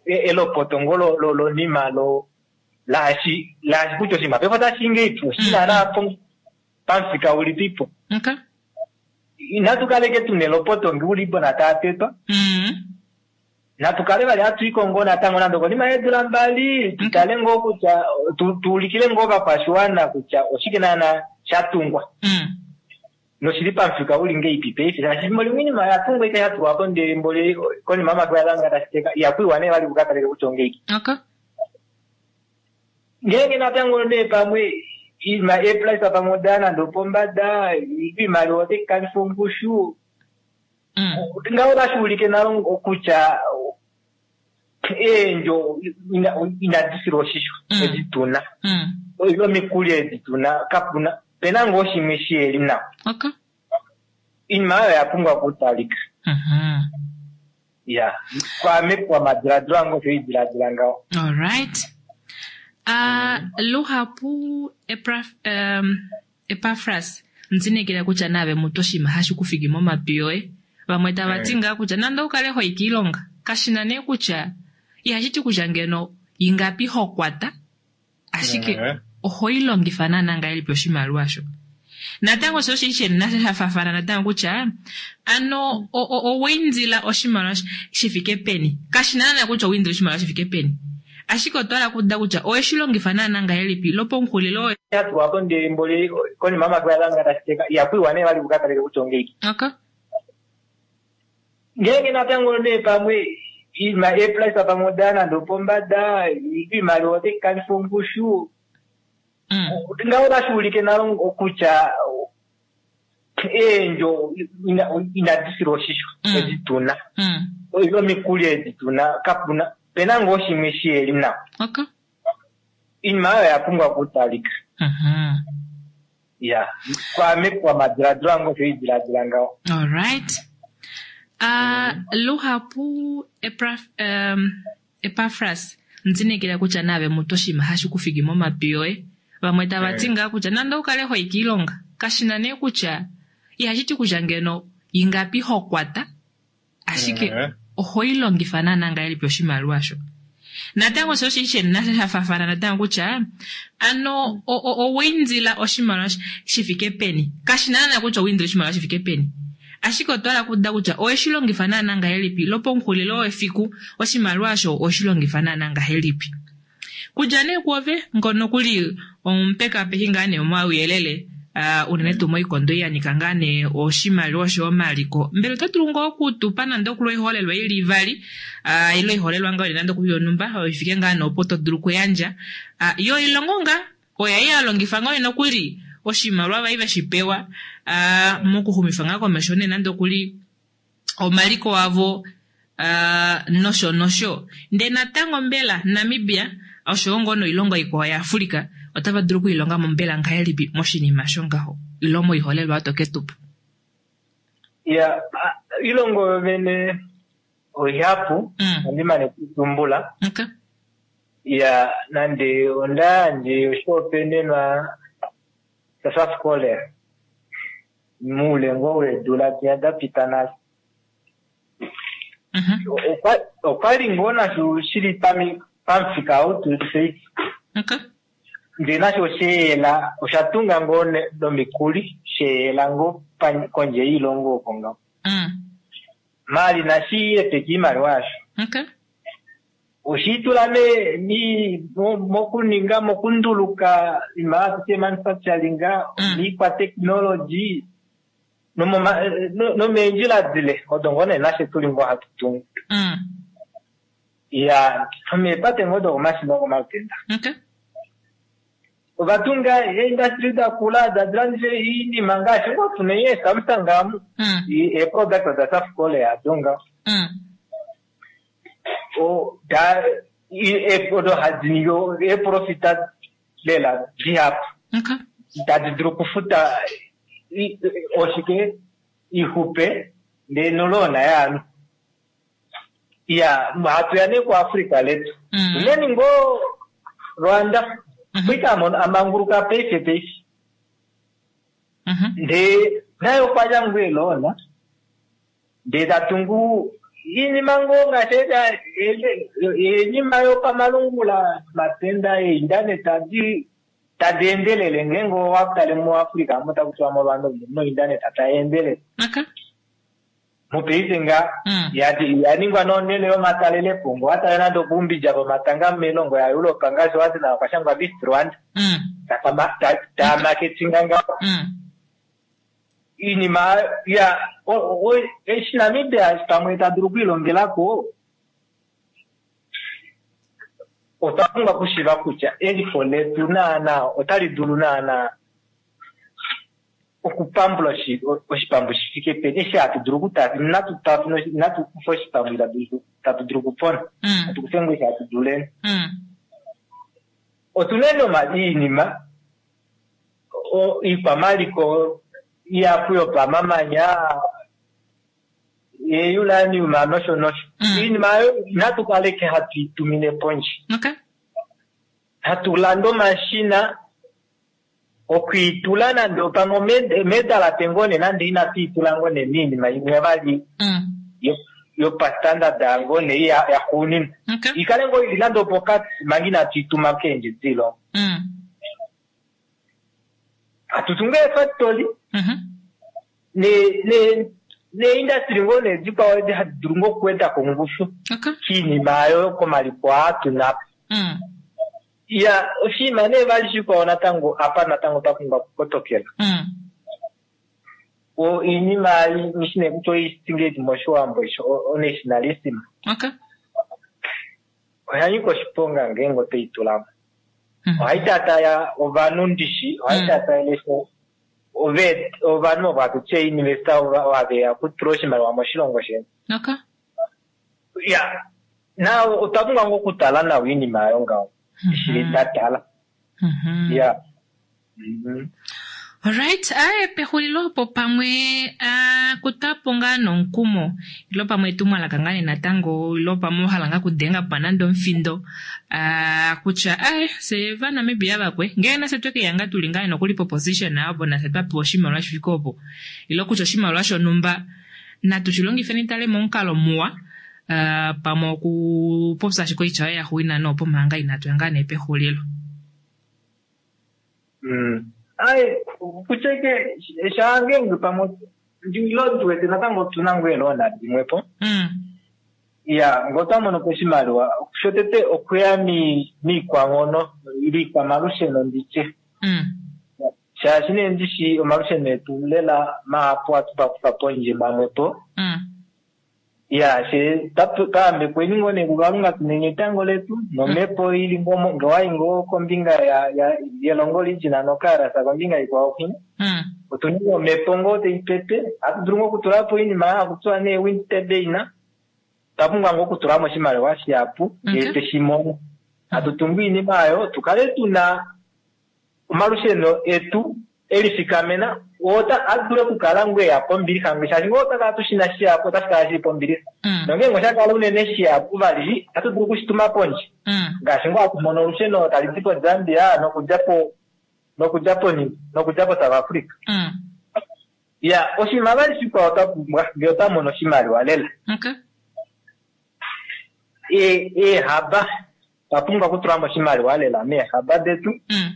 elopoto ngoo lonima lo laashi laashi kutya oshinima paife otashi ngeipi oshili naana pamufika ulipipo. Inatu kaleke tuna elopoto ngee uliibona taa tetwa. Natu kale vali hatu iko ngoo natango nande okonima yeedula mbali tutale ngoo kutya tuulikile ngoo ovakwashiwana kutya oshike naana shatungwa. Noshili pamufika uli ngeipi paife shaashi efimbo limwe oinima oyatungwa ashike yatulwapo ndele mboli konima yomafiku yalanga tashi teka ihakuiwa nee vali kukatalike kutya ongeipi. Ngeenge natango nee pamwe eeprice pamwe odaya nande opombada, oimaliwa otai kanifa ongushu. Ngaho otashi ulike nalo kutya eendjo inadi filwa oshisho edi tuna. Ile omikuli edi tuna kapuna pena ngoo shimwe shiheli nawa. Oinima oyo oya pumbwa okutalika. Ya, kwaame pamadiladilo ange osho haidiladila ngaho. Alright. Uh, luhapu um, Epafras ndinekela kutya naave mutu oshinima hashi kufiki momatwi yoye. Vamwe tava ti ngaa kutya nande oukale hoyi kiilonga kashina nee kutya ihashi ti kutya ngeno ingapi ho kwata, ashike oho ilongifa naana ngahelipi oshimaliwa sho. Natango osho oshili sheni nasho sha faafana natango kutya ano owa indila oshimaliwa shi fike peni. Kashina naana kutya owa indila oshimaliwa shi fike peni, ashike otwa hala okuuda kutya oweshi longifa naana ngahelipi lopomungulilo. Yatulwapo ndele mboli konima yomafiku yalanga tashi teka ihakuiwa nee vali kukatalike kutya ongeipi. Ngeenge natango nee pamwe eeprice pamwe odaya nande opombada, oimaliwa otai kanifa ongushu. Ngaho otashi ulike nalo kutya eendjo inadi filwa oshisho edi tuna. Ile omikuli edi tuna kapuna pena ngoo shimwe shiheli nawa. Oinima oyo oya pumbwa okutalika. Ya, kwaame pamadiladilo ange osho haidiladila ngaho. Alright. Uh, luhapu um, Epafras ndinekela kutya naave mutu oshinima hashi kufiki momatwi yoye. Vamwe tava ti ngaa kutya nande oukale hoyi kiilonga kashina nee kutya ihashi ti kutya ngeno ingapi ho kwata, ashike oho ilongifa naana ngahelipi oshimaliwa sho. Natango osho oshili sheni nasho sha faafana natango kutya ano owa indila oshimaliwa shi fike peni. Kashina naana kutya owa indila oshimaliwa shi fike peni, ashike otwa hala okuuda kutya oweshi longifa naana ngahelipi lopomungulilo wefiku oshimaliwa osho oweshi longifa naana ngahelipi. Kudja nee kuove ngono kuli omupekapeki ngaa nee omauyelele uh, unene tuu moikondo yanika ngaa nee oshimaliwa osho omaliko, mbela oto dulu ngoo okutupa nande okuli oiholelwa ili ivali uh, ile oiholelwa ngoo nande okuli yonhumba oyo ifike ngaa nee opo to dulu okuyandja uh, yo ilongo ngaa oya i yalongifa ngoo nokuli oshimaliwa vai veshi pewa uh, mokuxumifa ngaa komesho nee nande okuli omaliko avo uh, nosho nosho. Ndee natango mbela Namibia osho ngoo noilongo ikwao yaAfrika otava dulu okuilonga mo mbela ngahelipi moshinima shongaho ile moiholelwa to ketupa? Ya, ilongo yovene oihapu andi mane kutumbula. Ya, nande onda yandje oshihopaenenwa shaSouth Korea moule ngoo weedula dinya da pita nale. Okwali ngoo nasho shili pamufika ou tuli paife. Okay. Ndee nasho osheela osha tunga ngoo nomikuli, sheela ngoo kondje yoilongo oko ngaho. Mm. Mali nashi epeka iimaliwa yasho. Okay. Oshiitula me mi mokuninga mokunduluka iimaliwa tutye manufacturing, miikwa technology nomoma nomeendjila dile odo ngoo nee nashe tuli ngoo hatu tungu. Mm. Ya nomeepate ngoo dokomashina okomalutenda. Okay. Ovatunga eindustry dakula tadi landifa iinima ngaashi ngoo tuna eeSamsung amu. Mm. Eeproduct da South Korea ado ngaho. Mm. O da odo hadi ningi eeprofita lela dihapu. Okay. Tadi dulu okufuta oshike ixupe ndee nolona yaanhu. Ya hatuya nee kuAfrica letu. Mm. Unene ngoo Rwanda kuita amanguluka paife paife. Mm-hmm. Ndee naye okwadja ngoo elona ndee tatungu iinima ngoo ngaashi iinima yopamalungula matenda eintaneta tadi tadi endelele ngeenge owatale muAfrica omo taku tiwa moRwanda omu nointaneta tai endelele. Okay. Mopaife nga Mm. yaningwa nonhele yomatalelepo ngee owatale nande okuumbidja vomatanga moilongo yaEurope ngaashi owati nawa okwashangwa Visit Rwanda. Mm. Taa marketinga ngaho. Mm. Iinima ya eshi Namibia pamwe ta dulu okwiilongelako otwa pumbwa okushiiva kutya eliko letu naana otali dulu naana okupambula oshipambu shi fike peni eshi hatu dulu okutafuna inatu tafuna inatu kufa oshipambu tatu dulu okupona. Mm. Hatu kufe ngoo eshi hatu duleni. Mm. Otuna iinima iikwamaliko ihapu yopamamanya euranium nosho nosho. Mm. Iinima oyo inatu kaleke hatu itumine pondje. Okay. Hatu landa omashina okwiitula nande pamwe medalate ngoo nee nande inatu itula ngoo nee miinima imwe vali Mm. yopastandard ngoo nee yaxuuninwa. Okay. Ikale ngoo ili nande opokati manga inatu ituma keendje dilongo. Mm. Hatu tungu eefactory Mm-hmm. ne ne neindustry ngoo nee dikwao edi hadi dulu ngoo okuwedako ongushu Okay. kiinima oyo komaliko aa tuna. Mm. Ya oshinima nee vali shikwao natango apa natango twa pumbwa okukotokela. Mm. O iinima ndishi nee kutya oitingedi moshiwambo isho onationalism. Okay. Oya nyika oshiponga ngeenge otoyi tulamo. Mm. Ohai taataya ovanhu ndishi, ohai Mm. taatayele ove ovanhu ovo hatu ti investor ovo haveya okutula oshimaliwa moshilongo shetu. Okay. Ya na otwa pumbwa ngoo okutala nawa iinima oyo ngaho. Eshi ndatala. Mm-hmm. Ya. Mhm. Alright, aye pexulilo opo pamwe uh, kutapo ngaa nomukumo ilo pamwe etumwalaka ngaa nee natango ilo pamwe wahala ngaa kudenga pa nande omufindo uh, kutya aye fye vaNamibia vakwe ngee nafye twekeya ngaa tuli ngaa nokuli poposition opo nafye twapewa oshimaliwa shifike opo ilo kutya oshimaliwa shonhumba natu shi longifeni tale momukalo muwa uh, pamwe okupopya ashike oitya yoye yaxuuninwa noopo manga inatu ya ngaa nee pexulilo. Mm. Aye kutya ike shaangeenge pamwe ilo ndiwete natango otuna ngoo eeloona dimwepo. Mm. Ya ngee otwa mono po oshimaliwa shotete okuya miikwanghono ile iikwamalusheno nditye. Mm. Shaashi nee ndishi omalusheno etu lela mahapu ohatu kufa pondje mamwepo. Mm. Ya she twayambekweni ngoo nee kuKalunga tuna etango letu nomhepo ili ngoo ngee owayi ngoo kombinga ya yelongo region noKaras kombinga ikwao kwinya. Mm. Otuna omhepo ngoo taipepe ohatu dulu ngoo okutulapo oinima haku tiwa nee wind turbine. Otwa pumbwa ngoo okutulamo oshimaliwa shihapu ndee Okay. teshi mono. Hatu tungu oinima oyo tukale tuna omalusheno etu elifikamena oo adule okukala ngoo eya pombilixa shaashi ngoo otwa kala tushina shihapu otashi kala shili pombilixa. Mm. Nongeenge osha kala unene shihapu vali ohatu dulu okushituma pondje. Mm. Ngaashi ngoo hatu mono olusheno tali di koZambia nokudja po nokudja poni nokudja po South Africa. Mm. Ya oshinima vali shikwao twa pumbwa ngee otwa mono oshimaliwa lela. Okay. Eehaba Otwa pumbwa okutula mo oshimaliwa lela meehaba detu Mm.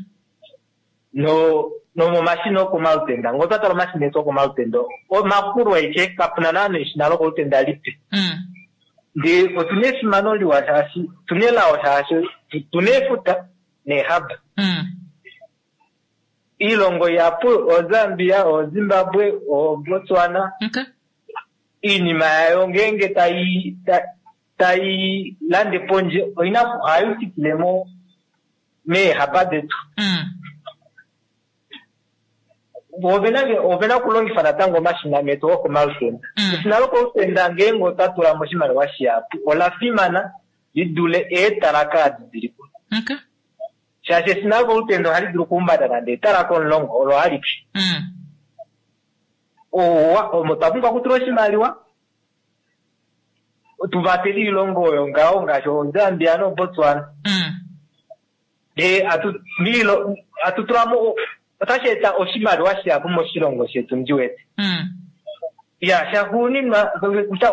no nomomashina okomalutenda. Ngee otwa tala omashina etu okomalutenda omakulu aike kapuna naana eshina lokolutenda lipe. Mm. Ndee otuna efimano liwa shaashi otuna elao shaashi otuna efuta neehaba. Mm. Iilongo ihapu oZambia, oZimbabwe, oBotswana Okay. iinima yayo ngeenge tai ta- tai lande pondje oina ohayi thikile mo meehaba detu. Mm. Ovena ovena okulongifa natango omashina metu okomalutenda. Mm. Eshina lokolutenda ngeenge otwa tula mo oshimaliwa shihapu ola fimana li dule eetalaka adi dili po. Okay. Shaashi eshina lokolutenda ohali dulu okuhumbata nande etalaka omulongo olo alike. Mm. Owa omo twa pumbwa okutula oshimaliwa tu vatele iilongo oyo ngaho ngaashi oZambia noBotswana. Mm. Ndee atu miilo atu tula mo otashi eta oshimaliwa shihapu moshilongo shetu ndi wete. Mm. Ya shaxuuninwa kutya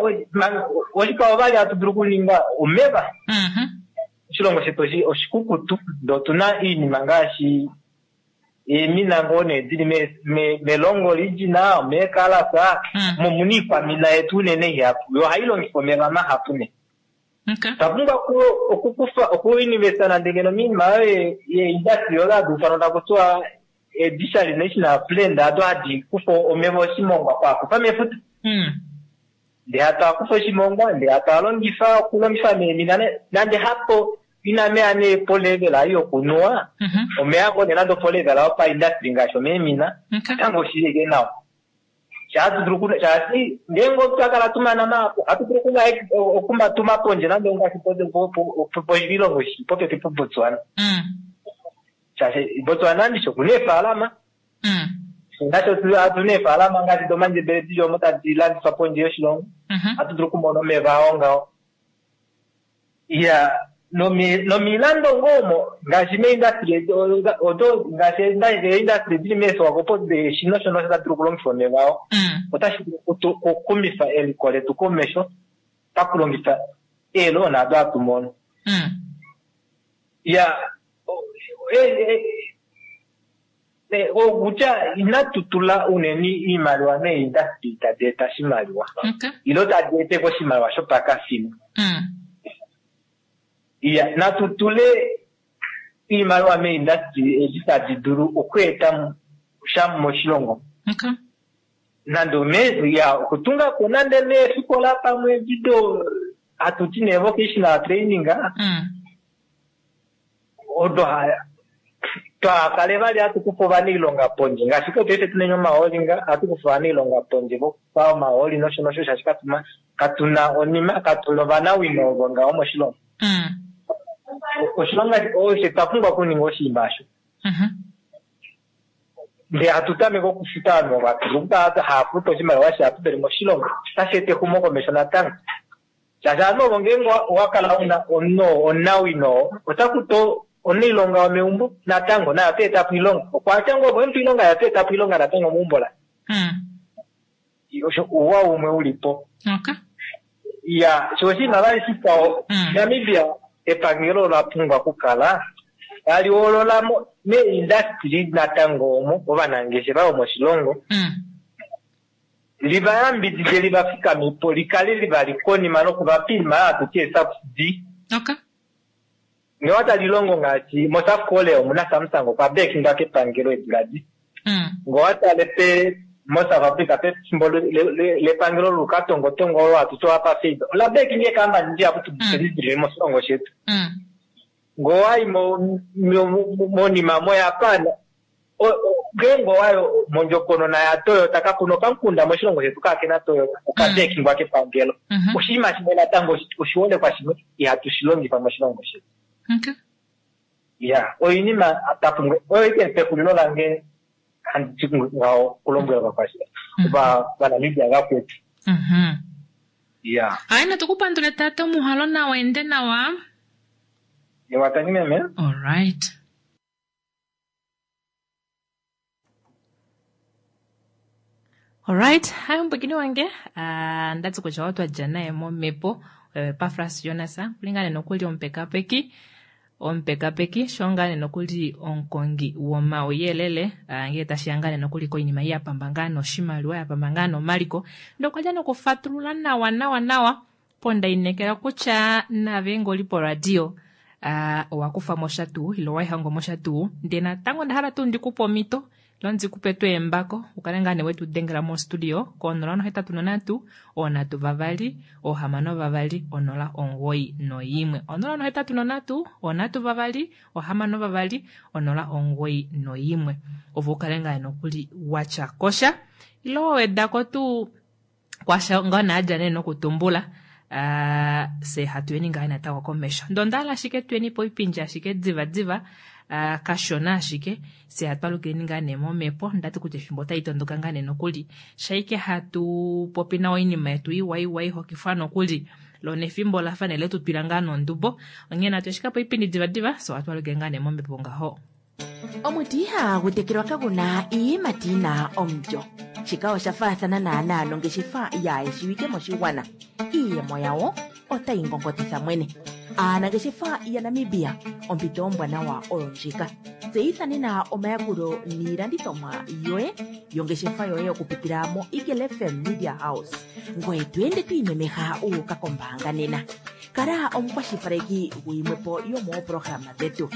oshikwao vali hatu dulu okuninga omeva. Mhm. Oshilongo shetu oshi- oshikukutu ndee otuna iinima ngaashi eemina ngoo nee dili me- me- melongo lijina meekalasa Mm. mo muna iikwamina yetu unene ihapu yo ohayi longifa omeva mahapu ne. Okay. Otwa pumbwa oku- okukufa okuinvesta nande ngeno miinima oyo ye- yeindustry oyo hadi ufanwa taku tiwa desalination plant ado hadi kufa omeva oshimongwa kwaakufa mefuta. Mm. Ndee hatu akufa oshimongwa ndee hatu alongifa okulongifa meemina ne- nande hapo ina meya nee polevel ei yokunuwa Mhm. omeya ngoo nee nande opolevel yopaindustry ngaashi omeemina Okay. natango oshilike nawa. Shahatu dulu oku- shaashi ngeenge otwa kala tumana mahapu ohatu dulu okuma- okumatuma pondje nande ongaashi po- po- po- po- poshilongo shi popepi poBotswana. Mm. Shaashi Botswana ndishi okuna eefaalama Mm. nasho otuna eefaalama ngaashi domandjebele dili omo tadi landifwa pondje yoshilongo. Mhm. Ohatu dulu okumona omeva ao ngaho. Iya nomi- nomilando ngoo omo ngaashi meindustry odo ngaashi eindustry dili meeSwakopo eshina osho nosho tadi dulu okulongifa omeva ao. Mm. Otashi dulu okutu- okuxumifa eliko letu komesho pakulongifa eeloona ado hatu mono. Mm. Ya o- e- e- e- okutya inatu tula unene iimaliwa meindustry tadi eta oshimaliwa Okay. ilo tadi eteko oshimaliwa shopakafimbo. Mm. Iya natu tule iimaliwa meindustry edi tadi dulu okweeta sha moshilongo. Okay. Nande ome ya okutunga ko nande neefikola pamwe dido hatuti nee vocational training Mm. odo ha- twakale vali hatu kufa ovanailonga pondje ngaashi paife tuneni omahooli nga ohatu kufa ovanailonga pondje vokufa omahooli nosho nosho shaashi katuna katuna onima katuna ovanawino ovo ngaho moshilongo. Mm. Oshilonga osho twa pumbwa okuninga oshinima osho. Mhm. Ndee hatu tameke okufuta ovanhu ovo hatu dulu okukala hava futu oshimaliwa shihapu veli moshilongo otashi eta exumokomesho natango. Shaashi ovanhu ovo ngeenge owa kala una omunhu omunawino ota kutu omunailonga womeumbo natango naye ota eta po oilonga. Okwatya ngoo opo emupa oilonga naye ota eta po oilonga natango meumbo laye. Mm. Osho ouwa umwe uli po. Okay. Ya sho oshinima vali shikwao Mm. Namibia epangelo ola pumbwa okukala tali hoolola mo meindustry natango omo ovanangeshefa vomoshilongo Mm. liva yambidide liva fikamepo likale livali konima nokuvapa iinima hatuti esubsidy. Okay. Ngee otali longo ngaashi moSouth Korea omuna Samsung okwa bekingwa kepangelo eedula di. Mm. Ngee owatale pe moSouth Africa pefimbo le- le- le- lepangelo lukatongotongo olo hatuti oapartheid ola bekinga eekambani dihapu tudili moshilongo shetu. Mm. Ngee owayi mo- mo- monima moJapan o- o- ngeenge owayo mondjokonona yaToyota kakuna okamukunda moshilongo shetu kaakena Toyota okabekingwa kepangelo. Mhm. Oshinima shimwe natango oshiholekwa shimwe ihatu shi longifa moshilongo shetu. Okay. Ya oinima tapumbwa oyo ike pexulilo lange handi ti ngaho okulombwela ovakwashiwana ova- Ovanamibia vakwetu. Mhm. Ya Hayi natukupandule tata omuhalo nawa ende nawa. ewatangi meme. All right. Alright, hayi omupwikini wange ah, ndati kutya otwa dja naye momhepo Epafras Jonas kulingane nokuli omupekapeki Omupekapeki sho ngaa nee nokuli omukongi womauyelele ngele tashiya ngaa nee nokuli koinima ya pamba ngaa noshimaliwa, ya pamba ngaa nomaliko, ndee okwa dja nokufatulula nawa nawa nawa po ndainekela kutya nave ngee oli poradio owa kufamo sha tuu ile owelihongo mosha tuu. Ndee natango ondahala tuu ndikupe omhito ile ndikupe tuu embako ukale ngaa nee wetu dengela mo studio ko onola nohetatu nonhatu onhatu vavali ohamano vavali onola omugoyi noimwe, onola nohetatu nonhatu onhatu vavali ohamano vavali onola omugoyi noimwe, ove ukale ngaa nokuli watya kosha ile wawedako tuu kwasha ngaa naadja nee nokutumbula. Uh, se hatuyeni ngaa natango komesho. Ndee ondahala ashike tuyeni poipindi ashike diva diva, uh, kashona ashike se hatwalukileni ngaa nee momhepo. Ndati kutya efimbo otali tondoka ngaa nee nokuli shaike hatu popi nawa oinima yetu iwa iwa ihokifwa nokuli lona efimbo lafa nee letutwila ngaa nondubo. Onghee natu ashike poipindi diva diva so hatwalukile ngaa nee momhepo ngaho. Omuti ihagu tekelwa kaguna iiyimati yina omulyo. Shika osha faathana naanaa nongeshefa yaayeshiwike moshigwana. Iiyemo yawo otayi ngongotitha mwene. Aanangeshefa yaNamibia, ompito ombwanawa oyo ndjika. Tseyitha nena omayakulo niilandithomwa yoye yongeshefa yoye okupitila mo Eagle F M Media House. Ngoye to ende to imemeha u uka kombaanga nena. Kala omukwashilipaleki guyimwepo yomoopolohalama dhetu.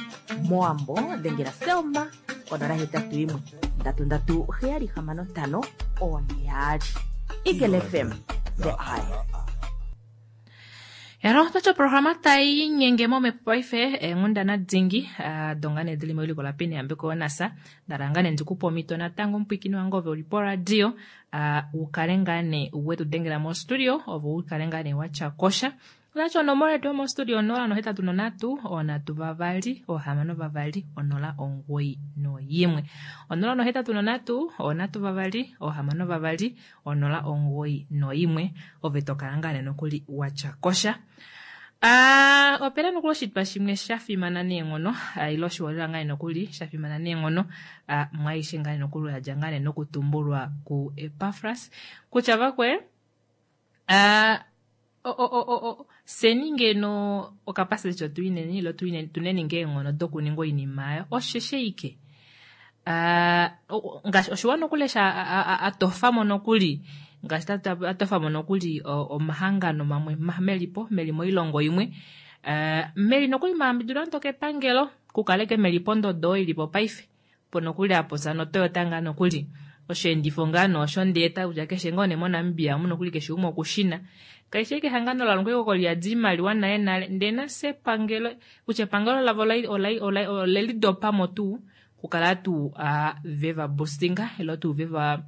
Moambo dhengela Selma konola hetatu yimwe ndatu ndatu heyali hamano ntano one yaali. Eagle F M, the eye. Yalo, otwa programa tai nyenge momhepo paife eenghundana dingi donga nee dili mewiliko la Peni Yambeko Nasa. Ndala ngaa nee ndikupe omhito natango omupwikini wange ove uli poradio, ukale ngaa nee wetu dengela mo studio, ove ukale ngaa nee watya kosha. Otachi onomola yetu yomo studio onola nohetatu nonhatu, onhatu vavali, ohamano vavali, onola omugoyi noyimwe. Onola nohetatu nonhatu, onhatu vavali, ohamano vavali, onola omugoyi noyimwe. Ove tokala ngaa nee nokuli watya kosha. Ah, opena nokuli oshitwa shimwe sha fimana neenghono, ile oshiholela ngaa nee nokuli sha fimana neenghono, mwaishe ngaa nee nokuli yadja ngaa nee nokutumbulwa ku Epafras kutya vakwe, ah, o, o, o, o, o, seni ngeno okapasite cho tuineni, ilo tuineni, tuneni ngeenghono dokuninga oinima ayo, osheshe ike. Ah, ngaashi oshiwa nokuli sha, a, a, a, a tofamo nokuli, ngaashi ta, ta, a tofamo nokuli, o, omahangano mamwe, ma, melipo, meli moilongo imwe. Ah, meli nokuli maambidula ntoke epangelo, kukaleke meli pondodo ilipo paife. Po nokuli apo sa noToyota ngaa nokuli. Osheendifo ngaa noosho ndeeta kutya keshe ngoo nee moNamibia omu nokuli keshe umwe okushina. Kaishe ike ehangano la longwa oko li yadi iimaliwa naye nale. Ndee nase epangelo, kutya epangelo lavo ola-, ola-, ola-, ole lidopamo tuu, kukala tuu, a, ve va boostinga, ilo tuu ve va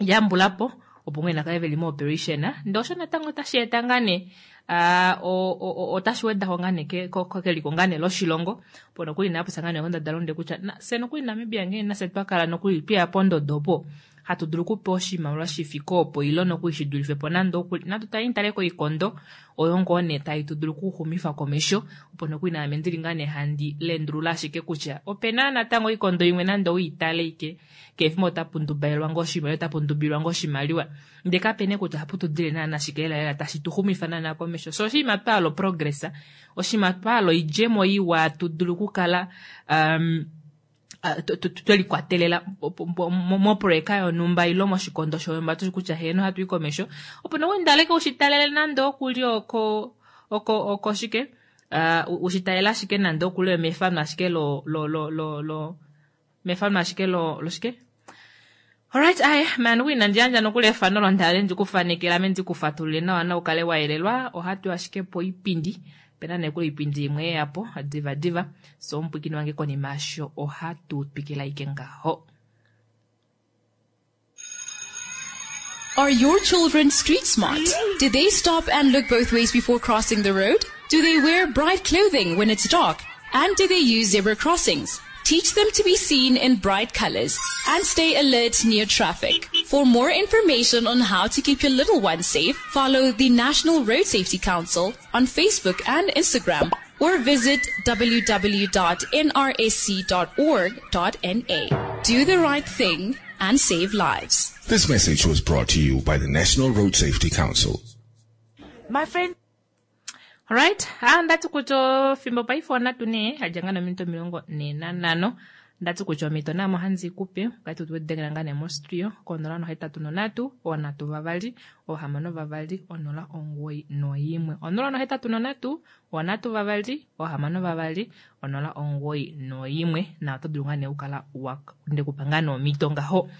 yambulapo, opo mwene akale veli mo operation. Ndee osho natango otashi eta ngaa nee, a, o, o, o, otashi wedako ngaa nee ke-, ko-, ko-, keliko ngaa nee loshilongo. Opo nokuli naapopya ngaa nee kondadalunde kutya, na, se nokuli Namibia ngee nase twa kala nokuli tweya pondodo opo, hatu dulu okupewa oshimaliwa shi fike opo, ilo nokuli shi dulife po nande okuli. Natu tali tale koikondo oyo ngoo nee tai tu dulu okuxumifa komesho, opo nokuli naame ndili ngaa nee handi lendulula ashike kutya opena natango oikondo imwe nande oitale ike, keefimbo otapu ndubaelwa ngoo oshimaliwa, otapu ndubilwa ngoo oshimaliwa. Ndee kapene kutya ohapu tu dile naana shike lela lela tashi tu xumifa naana komesho. So oshinima twa hala progress, oshinima twa hala oidjemo iwa tu dulu okukala, um, ah, tu, tu, tu, twelikwatelela moprojeka yonhumba ilo moshikondo shonhumba tushi kutya heeno ohatu i komesho. Opo nokuli ndaleke ushitalele nande okuli oko, oko, oko shike? Ah, u-, ushitalele ashike nande okuli mefano ashike lo, lo, lo, lo, lo, mefano ashike lo, lo shike? Alright, aye, man, nokuli inandi yandja nokuli efano londale ndikufanekela ame ndikufatulule nawa na ukale wa yelelwa. Ohatu ashike po oipindi. Pena nekuli oipindi imwe yapo, diva diva. So omupwikini wange konima yasho ohatu twikila ike ngaho. Are your children street smart? Do they stop and look both ways before crossing the road? Do they wear bright clothing when it's dark? And do they use zebra crossings? Teach them to be seen in bright colors and stay alert near traffic. For more information on how to keep your little ones safe, follow the National Road Safety Council on Facebook and Instagram or visit w w w dot n r s c dot org dot n a. Do the right thing and save lives. This message was brought to you by the National Road Safety Council. My friend. Alright, ah, ndati kutya ofimbo paife onatu nee adja ngaa nominute omilongo nhee nanhano ndati kutya omhito naame ohandi ikupe okati tudengela ngaa nee mostudio konola nohetatu nonhatu onhatu vavali ohamano vavali onola omugoyi noimwe onola nohetatu nonhatu onhatu vavali ohamano vavali onola omugoyi noimwe na oto dulu ngaa nee okukala ndekupa ngaa nee omhito ngaho.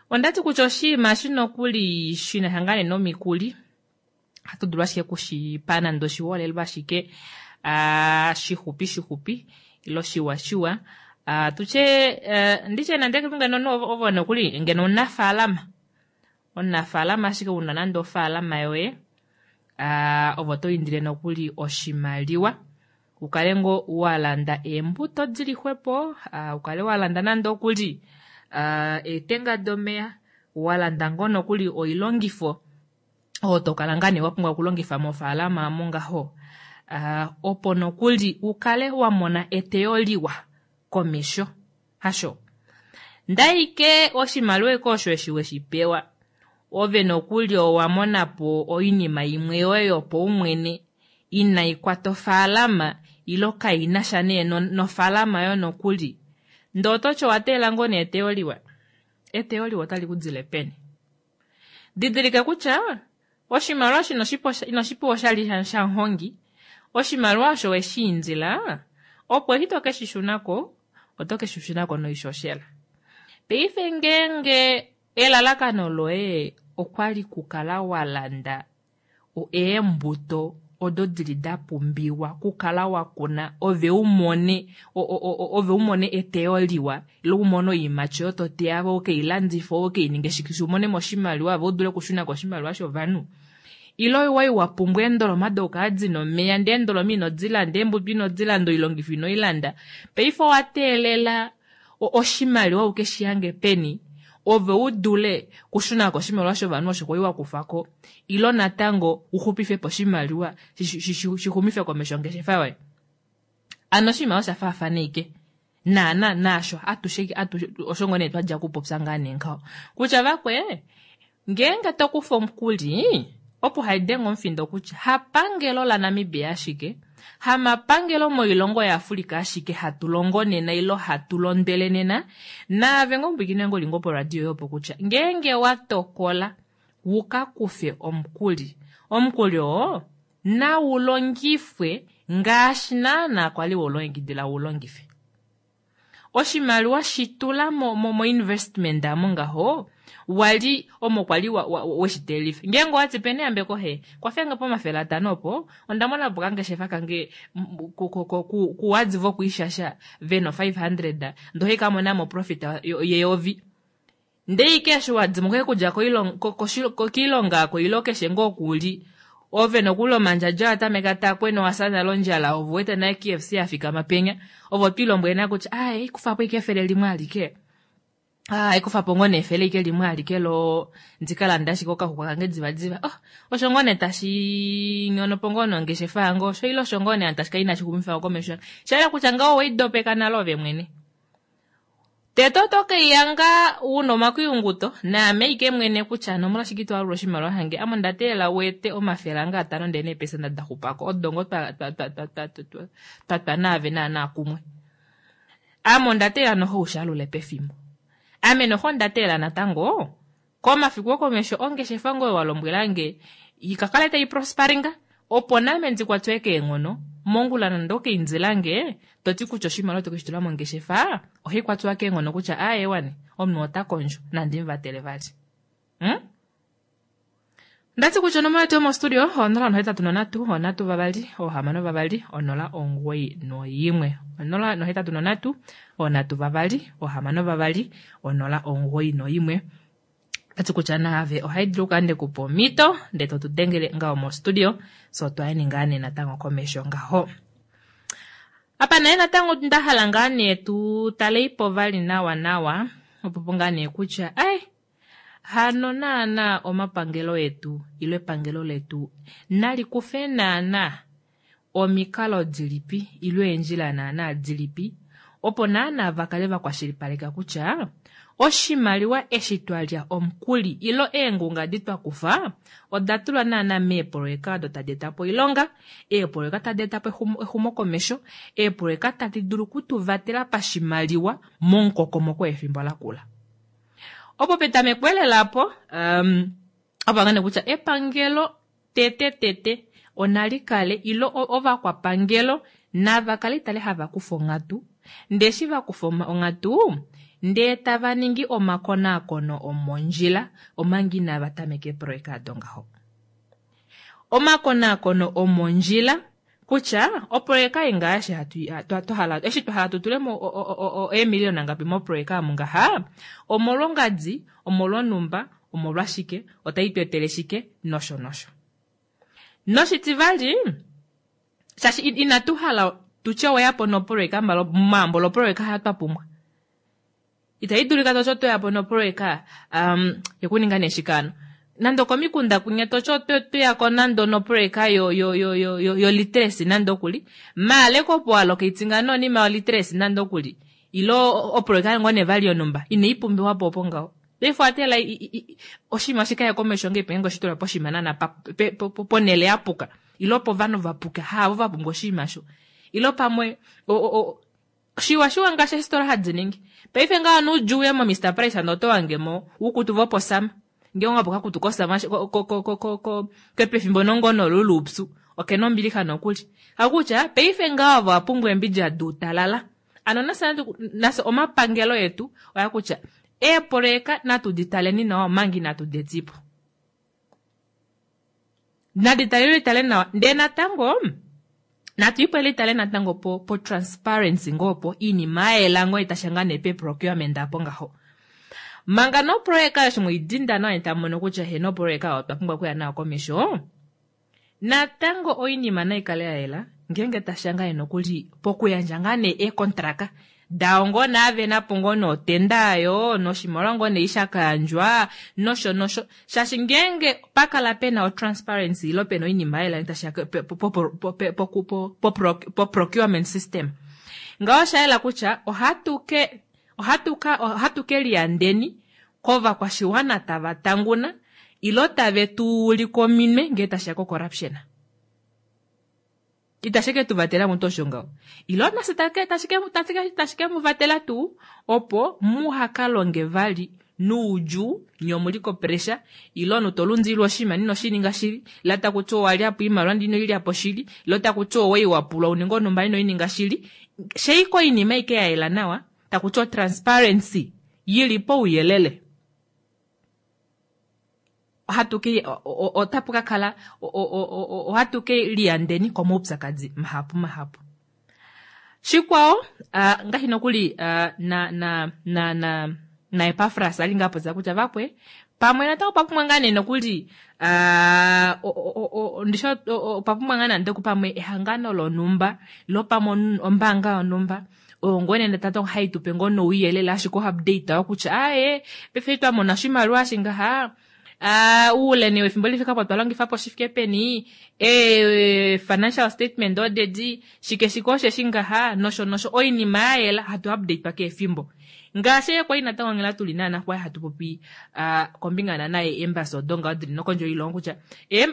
Ondati kutya oshinima eshi nokuli shinasha ngaa nee nomikuli ohatu dulu ashike okushipa nande oshiholelwa ashike uh, shixupi xixupi ilo shiwa shiwa uh, tutye uh, nditye nande ngeno ovo nokuli ngeno omunafaalama omunafaalama ashike una nande ofaalama yoye uh, ovo to indile nokuli oshimaliwa ukale ngoo walanda eembuto dili xwepo uh, ukale walanda nande okuli uh, eetenga domeya walanda ngoo nokuli oilongifo oyo tokala ngaa nee wapumbwa okulongifa mofaalama omo ngaho uh, opo nokuli ukale wamona eteyo liwa komesho hasho ndaike oshimaliwa eke osho eshi weshipewa ove nokuli owamonapo oinima imwe yoye yopaumwene inaikwata ofaalama ilo kainasha nee nofaalama yo nokuli ndee ototi owateelela ngoo nee eteyo liwa eteyo liwa otali kudile peni didilika kutya oshimaliwa osho inoshipewa oshali shamuhongi oshimaliwa osho weshiindila opo eshi tokeshi shunako oto keshi shunako noishoshela paife ngeenge elalakano loye okwali kukala walanda eembuto odo dili dapumbiwa kukala wakuna ove umone ove umone eteyo liwa ile umone oiimati oyo toteya ove ukeilandife ove ukeininge shike umonemo oshimaliwa ove udule okushunako oshimaliwa shovanhu ile wai wapumbwa eendoloma dokukala dina omeya ndee eendoloma inodilanda eembuto inodilanda oilongifo inoilanda paife owateelela oshimaliwa ukeshihange peni ove udule kushunako oshimaliwa shovanhu osho kwali wakufako ilo natango uxupifepo oshimaliwa shixumife komesho ongeshefa yoye. Ano oshinima osha faafana ike naana naasho atushe osho ngoo nee twadja okupopya ngaa nee ngaho kutya vakwe ngeenge tokufa omukuli opo haidenge omufindo kutya hapangelo laNamibia ashike hamapangelo moilongo yaAfrica ashike hatu longo nena ilo hatu londwele nena naave ngoo omupwiikini wange uli ngoo poradio yopo kutya ngeenge watokola wuka kufe omukuli omukuli oo naulongifwe ngaashi naana kwali weulongekidila ulongife oshimaliwa shitula mo, mo, mo investment amo ngaho wali omo kwali weshiteelifa ngeenge owati peni yambeko he kwafenge pomafele atano opo onda mona po kangeshefa kange kuwadzi vokwiishasha vena five hundred ndohai kamonamo profit yeyovi ndee ike eshi wadimo koye kudja koilonga ako ilo keshe ngoo kuli ove nokuli omandjadja atameka takwena owafya nale ondjala ove uwete nale K F C yafikama penya ove otwiilombwele nale kutya aye kufapo ike efele limwe alike ah ikufapo ngoo nee efele ike limwe alike lo ndikalanda ashike okaxuxwa kange divadiva oh osho ngoo nee tashi nyonopo ngoo nongeshefa yange osho ile osho ngoo nee tashi kala inashi xumifa komesho shayela kutya ngaho oweidopeka nale ove mwene tete oto keiyanga una omakuyunguto naame ike mwene kutya nomolwashike ito alula oshimaliwa shange ame onda teelela uete omafele ange atano ndee neepesenda daxupako odo ngoo twatwa naave naana kumwe ame onda teelela noho ushalule pefimbo ame noho onda teelela natango komafiku okomesho ongeshefa ngoye walombwelange ikakale tai prosparinga opo name ndikwatwe keenghono mongula nande okeindilange toti kutya oshimaliwa tokeshitula mongeshefa ohai kwatwa keenghono kutya aye omunhu ota kondjo nande muvatele vali. Hmm? Ndati kutya onomola yetu yomostudio onola nohetatu nonhatu onhatu vavali ohamano vavali onola omugoyi noyimwe onola nohetatu nonhatu onhatu vavali ohamano vavali onola omugoyi noyimwe. Ndati kutya naave ohai dulu okukala ndekupa omhito ndee totudengele ngaho mostudio so twayeni ngaa nee natango komesho ngaho. Apa naye natango ndahala ngaa nee tu taleipo vali nawa nawa opo ngaa nee kutya ai hano naana omapangelo etu ilo epangelo letu nalikufe naana omikalo dilipi ilo eendjila naana dilipi Opo naana va kale va kwashilipaleka kutya oshimaliwa eshi twa lya omukuli ilo eengunga di twa kufa oda tulwa naana meepoloyeka odo tadi eta po oilonga, eepoloyeka tadi eta po exumokomesho, eepoloyeka tadi dulu okutuvatela pashimaliwa momukokomoko wefimbo lakula. Opo petameko elela apo um, opo ngane kutya epangelo tete tete onali kale ilo ovakwapangelo nava kale itale hava kufa onghatu, ndee eshi va kufa onghatu ndee tava ningi omakonaakono omondjila omanga inava tameka eepoloyeka ado ngaho. Omakonaakono omondjila kutya opoloyeka ei ngaashi hatu twa hala eshi twa hala tu tulemo eemiliyona ngapi mopoloyeka omu ngaha, omolwongadi, omolwonhumba, omolwashike, otai tu etele shike, nosho nosho. Noshitivali, shaashi inatu hala tutye oweyapo nopoloyeka maambo lopoloyeka hayo twa pumbwa. Itai dulika toti otweyapo nopoloyeka um, yokuninga nee shike nande okomikunda kwinya toti otweyako nande nopoloyeka yo yo yo yo yo yo literacy nande okuli maale kopo allocate ngano onima yo literacy nande okuli ilo opoloyeka ngoo nee vali yonhumba inai pumbiwa po opo ngaho. Paife owa teela oshinima shikaye komesho ngee penge oshitula poshinima naana ponele yapuka ilo povanhu vapuka haavo va pumbwa oshinima sho ilo pamwe shiwa shiwa ngaashi eesitola hadi ningi. Paife ngaho nuudjuu uye mo Mister Price ando oto wangemo uukutu voposama ngee ongapo kakutu kosama kepefimbo nongono luluupyu okena ombilixa nokuli. Hakutya paife ngaho avo vapumbwa eembidja duutalala. Ano nafye nafye omapangelo etu oya kutya eepoloyeka natu ditaleni nawa omanga inatu dietipo. Nadi taleni tale nawa ndee natango natu ipwele litale natango po, po transparency ngoo po iinima yayela ngoo itasha ngaa nee pe procurement apo ngaho. Manga nopoloyeka eshi mweidinda nawa tamu mono kutya heno opoloyeka otwa pumbwa okuya nayo komesho, natango oinima nai kale ya yela ngeenge tasha ngaa nokuli pokuyandja ngaa nee eekontraka dao ngoo naave napo ngoo notenda ayo noshimaliwa ngoo nee shakayandjwa nosho nosho shaashi ngeenge pakala pena o transparency ilo pena oinima yayela tasha po procurement system ngaho oshayela kutya ohatu ke ohatu ka ohatu ke liyandeni kovakwashiwana tava tanguna ilo tave tu ulike ominwe ngee tashiya ko corruption. Itashi ke tu vatela mutu osho ngaho ilo nase tashi ke mu vatela tuu opo muhaka longe vali nuudjuu nye omuli ko pressure ilo omunhu tolundililwa oshinima ino shininga shili ilo takuti owalyapo oimaliwa ndee ino ilyapo shili ilo takuti owai wapulwa uninge onhumba ino ininga shili sheiko oinima aike yayela nawa takuti o transparency yili pouyelele ohatu ke otapu ka kala ohatu ke liyandeni komaupyakadi mahapu mahapu. Shikwao uh, ngaashi nokuli uh, na na na na na Epafras ali ngaa popya kutya vakwe pamwe natango otwa pumbwa ngaa nee nokuli uh, ndisho otwa pumbwa ngaa nande pamwe ehangano lonhumba ilo pamwe ombaanga yonhumba oyo ngoo nee natango hai tupe ngoo nouyelele ashike o update kutya aaye paife twa mona oshimaliwa shingaha Uh, uule nee wefimbo lifika po twa longifa po shifike peni e, financial statement odedi shike shike osheshi ngaha nosho nosho oinima yayela hatu update kehe efimbo ngaashi kwali natango nghela tuli naana kwali hatu popi uh, kombinga naana yeembassy odo ngaho dili nokondje yoilongo kutya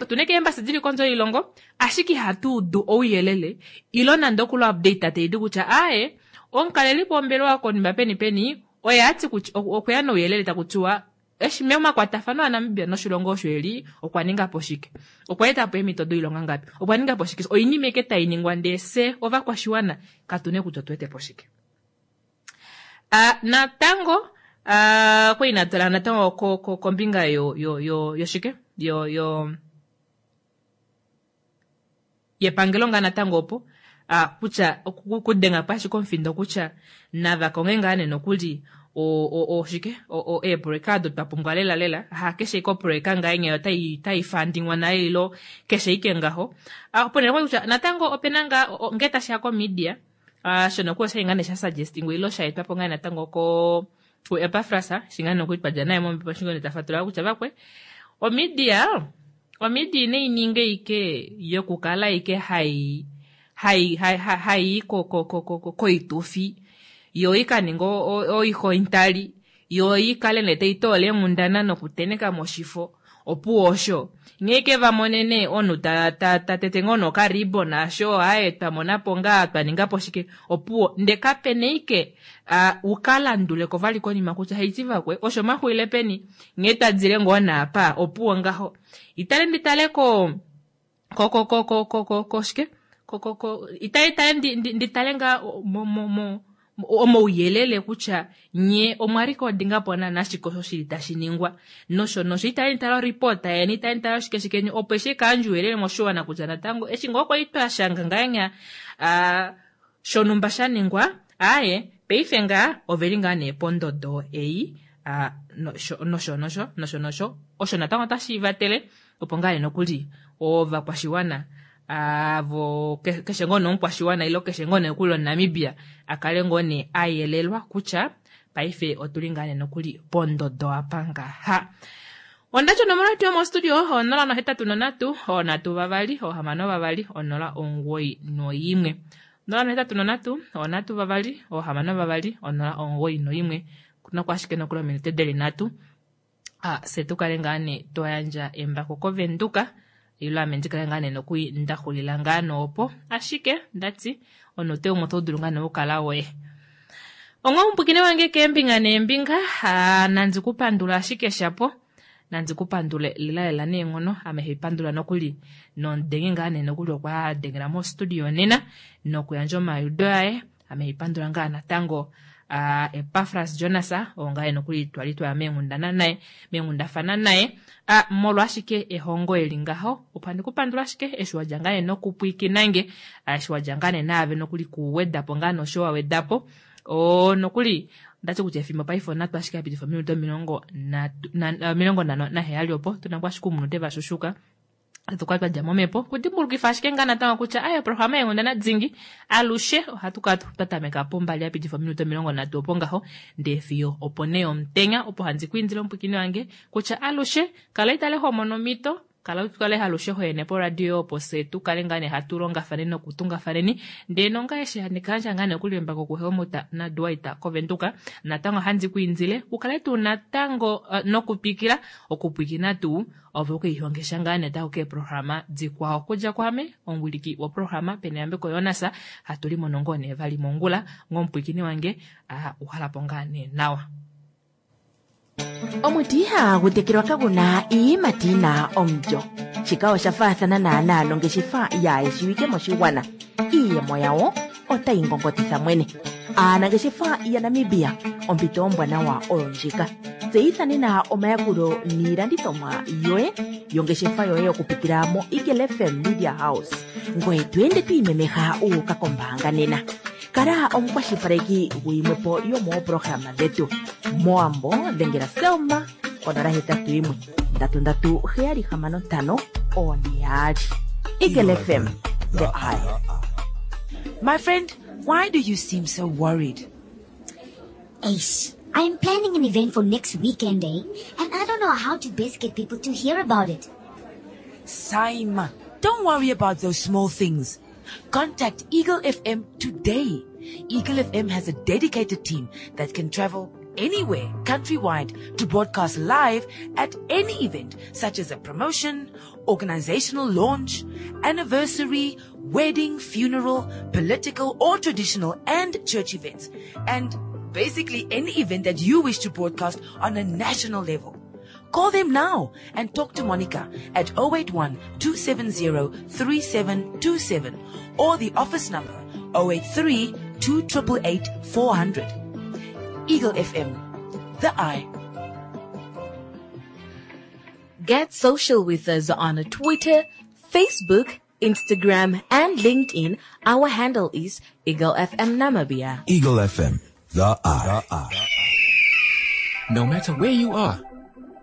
tuna keembassy dili kondje yoilongo ashike ihatu udu ouyelele ilo nande okula update taidi kutya aaye omukalelipo wombelewa konima peni peni oye ati kutya okweya nouyelele taku tiwa eshi momakwatafano aNamibia noshilongo osho eli okwa ninga po shike, okwa eta po eemhito doilonga ngapi, okwa ninga po shike, oinima eke tai ningwa ndee fye ovakwashiwana katune kutya otuwete po shike. Uh, natango uh, kwali natala natango kombinga yo yo yo yoshike yo yo yepangelo ngaa natango opo uh, kutya okudenga po ashike omufindo kutya nava konge ngaa nee nokuli oshike eepoloyeka odo twa pumbwa lela lela hakeshe ike opoloyeka ngaenya otai tai fundingwa nayo ilo keshe ike ngaho. Ponele kutya natango opena ngaa ngee tashiya ko media uh, shono kuyo oshali ngaa nee sha suggestingwa ilo sha etwapo ngaa natango ko ku Epafras shingaa nokuli twadja naye mombepo shingo tafatulula kutya vakwe omedia omedia inai ninga ike yokukala ike hai hai hai hai ko ko ko ko koitufi Yo ikaninga oihointali, yo ikale nee taitoola eenghundana nokuteneka moshifo. Opuwo osho. Nghee ke vamonene omunhu ta ta ta tete ngoo nokaribon asho aye twamonapo ngaa twaningapo shike opuwo nde kapena ike uh, ukalanduleko vali konima kutya haiti vakwe osho maxuile peni nghee twadile ngoo naapa opuwo ngaho itale nditale ko ko ko ko ko ko ko ko shike ko ko ko itale itale nditale ngaa mo mo mo omauyelele kutya nye omwa recordingapo naana shike osho shili tashi ningwa nosho nosho itali nitala oripota yeni itali nitala oshike shike opo eshi kaandja ouyelele moshiwana kutya natango eshi ngoo kwali twashanga ngahenya uh, shonumba sha ningwa aaye paife ngaa oveli ngaa nee pondodo ei uh, nosho nosho nosho nosho nosho osho natango otashi vatele opo ngaa nokuli ovakwashiwana avo keshe ngoo nomukwashiwana ilo keshe ngoo nokuli oNamibia akale ngoo nee ayelelwa kutya paife otuli ngaa nee nokuli pondodo apa ngaha. Ondacho onomola yetu yomostudio onola nohetatu nonhatu onhatu vavali ohamano vavali onola omugoyi noimwe onola nohetatu nonhatu onhatu vavali ohamano vavali onola omugoyi noimwe kuna kwashike nokuli ominute deli nhatu ah, se tukale ngaa nee toyandja embako koVenduka ilo ame ndikale ngaa nee nokui ndaxulila ngaa noopo ashike ndati onote umwe oto dulu ngaa nee okukala woye. Onga omupwikine wange keembinga neembinga nandi kupandula ashike shapo nandi kupandule lela lela neenghono ame haipandula nokuli nondenge ngaa nee nokuli okwa dengela mostudio nena nokuyandja omayudo aye ame haipandula ngaa natango Uh, Epafras Jonas oo ngaa nokuli twali twaya meenghundana naye meenghundafana naye uh, molwashike ehongo eli ngaho opo andikupandula ashike eshi wadja ngaa nee nokupwikinange eshi wadja ngaa nee naave nokuli kuwedapo ngaa nosho wawedapo o nokuli ndati kutya efimbo paife onatu ashike yapitifa ominute omilongo omilongo nhano naheyali opo tuna ngoo ashike oumunute vashushuka tukala twadja momhepo kudimbulukifa ashike ngaa natango kutya aye oprograma yeenghundana dingi alushe ohatu kala twatameka pombali yapitifa ominute omilongo nhatu opo ngaho ndee fiyo opo nee omutenya opo handi kwiindile omupwikini wange kutya alushe kala itale homono omhito kala tukale alushe hoyene poradio opo se tukale ngaa nee hatu longafaneni nokutungafaneni ndee nonga eshi handikayandja ngaa nee okuliembako kuHelmut naDwight koVenduka natango handi kwiindile ukale tuu natango uh, nokupikila okupwikina tuu ove ukeihongesha ngaa nee tako keeprograma dikwao kudja kwame omuwiliki woprograma Peneyambeko Jonas hatu limono ngoo nee vali mongula ngomupwikini wange uh, uhalapo ngaa nee nawa. Omuti ihagu tekelwa kaguna iiyimati yina omulyo. Shika osha faathana naanaa nongeshefa yaayeshiwike moshigwana. Iiyemo yawo otayi ngongotitha mwene. Aanangeshefa yaNamibia ompito ombwanawa oyo ndjika. Tseyitha nena omayakulo niilandithomwa yoye yongeshefa yoye okupitila mo Eagle F M Media House. Ngoye to ende to imemeha uuka kombaanga nena. Kala omukwashilipaleki guyimwepo yomooprograma dhetu. Moambo dhengela Selma konola hetatu yimwe ndatu ndatu heyali hamano ntano one yaali. Eagle F M, the eye. My friend, why do you seem so worried? Ace, I'm planning an event for next weekend, eh? And I don't know how to best get people to hear about it. Saima, don't worry about those small things. Contact Eagle F M today. Eagle F M has a dedicated team that can travel anywhere countrywide to broadcast live at any event such as a promotion, organizational launch, anniversary, wedding, funeral, political or traditional and church events, and basically any event that you wish to broadcast on a national level. Call them now and talk to Monica at oh eight one, two seven zero, three seven two seven or the office number oh eight three, two triple eight, four hundred. Eagle F M, the eye. Get social with us on Twitter, Facebook, Instagram, and LinkedIn. Our handle is Eagle F M Namibia. Eagle F M, the eye. The eye. No matter where you are,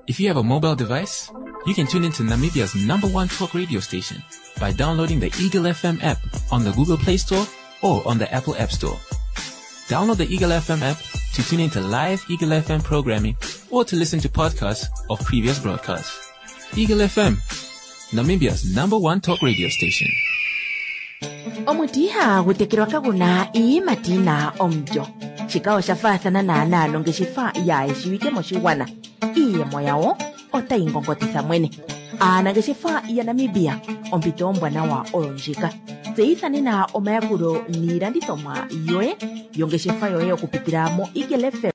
if you have a mobile device, you can tune into Namibia's number one talk radio station by downloading the Eagle F M app on the Google Play Store or on the Apple App Store. Download the Eagle F M app to tune into live Eagle F M programming or to listen to podcasts of previous broadcasts. Eagle F M, Namibia's number one talk radio station. Omuti ihagu tekelwa kaguna iiyimati yina omulyo. Shika osha faathana naanaa nongeshefa yaayeshiwike moshigwana. Iiyemo yawo otayi ngongotitha mwene. Aanangeshefa yaNamibia, ompito ombwanawa oyo ndjika. Tseyitha nena omayakulo niilandithomwa yoye yongeshefa yoye okupitila mo Eagle F M.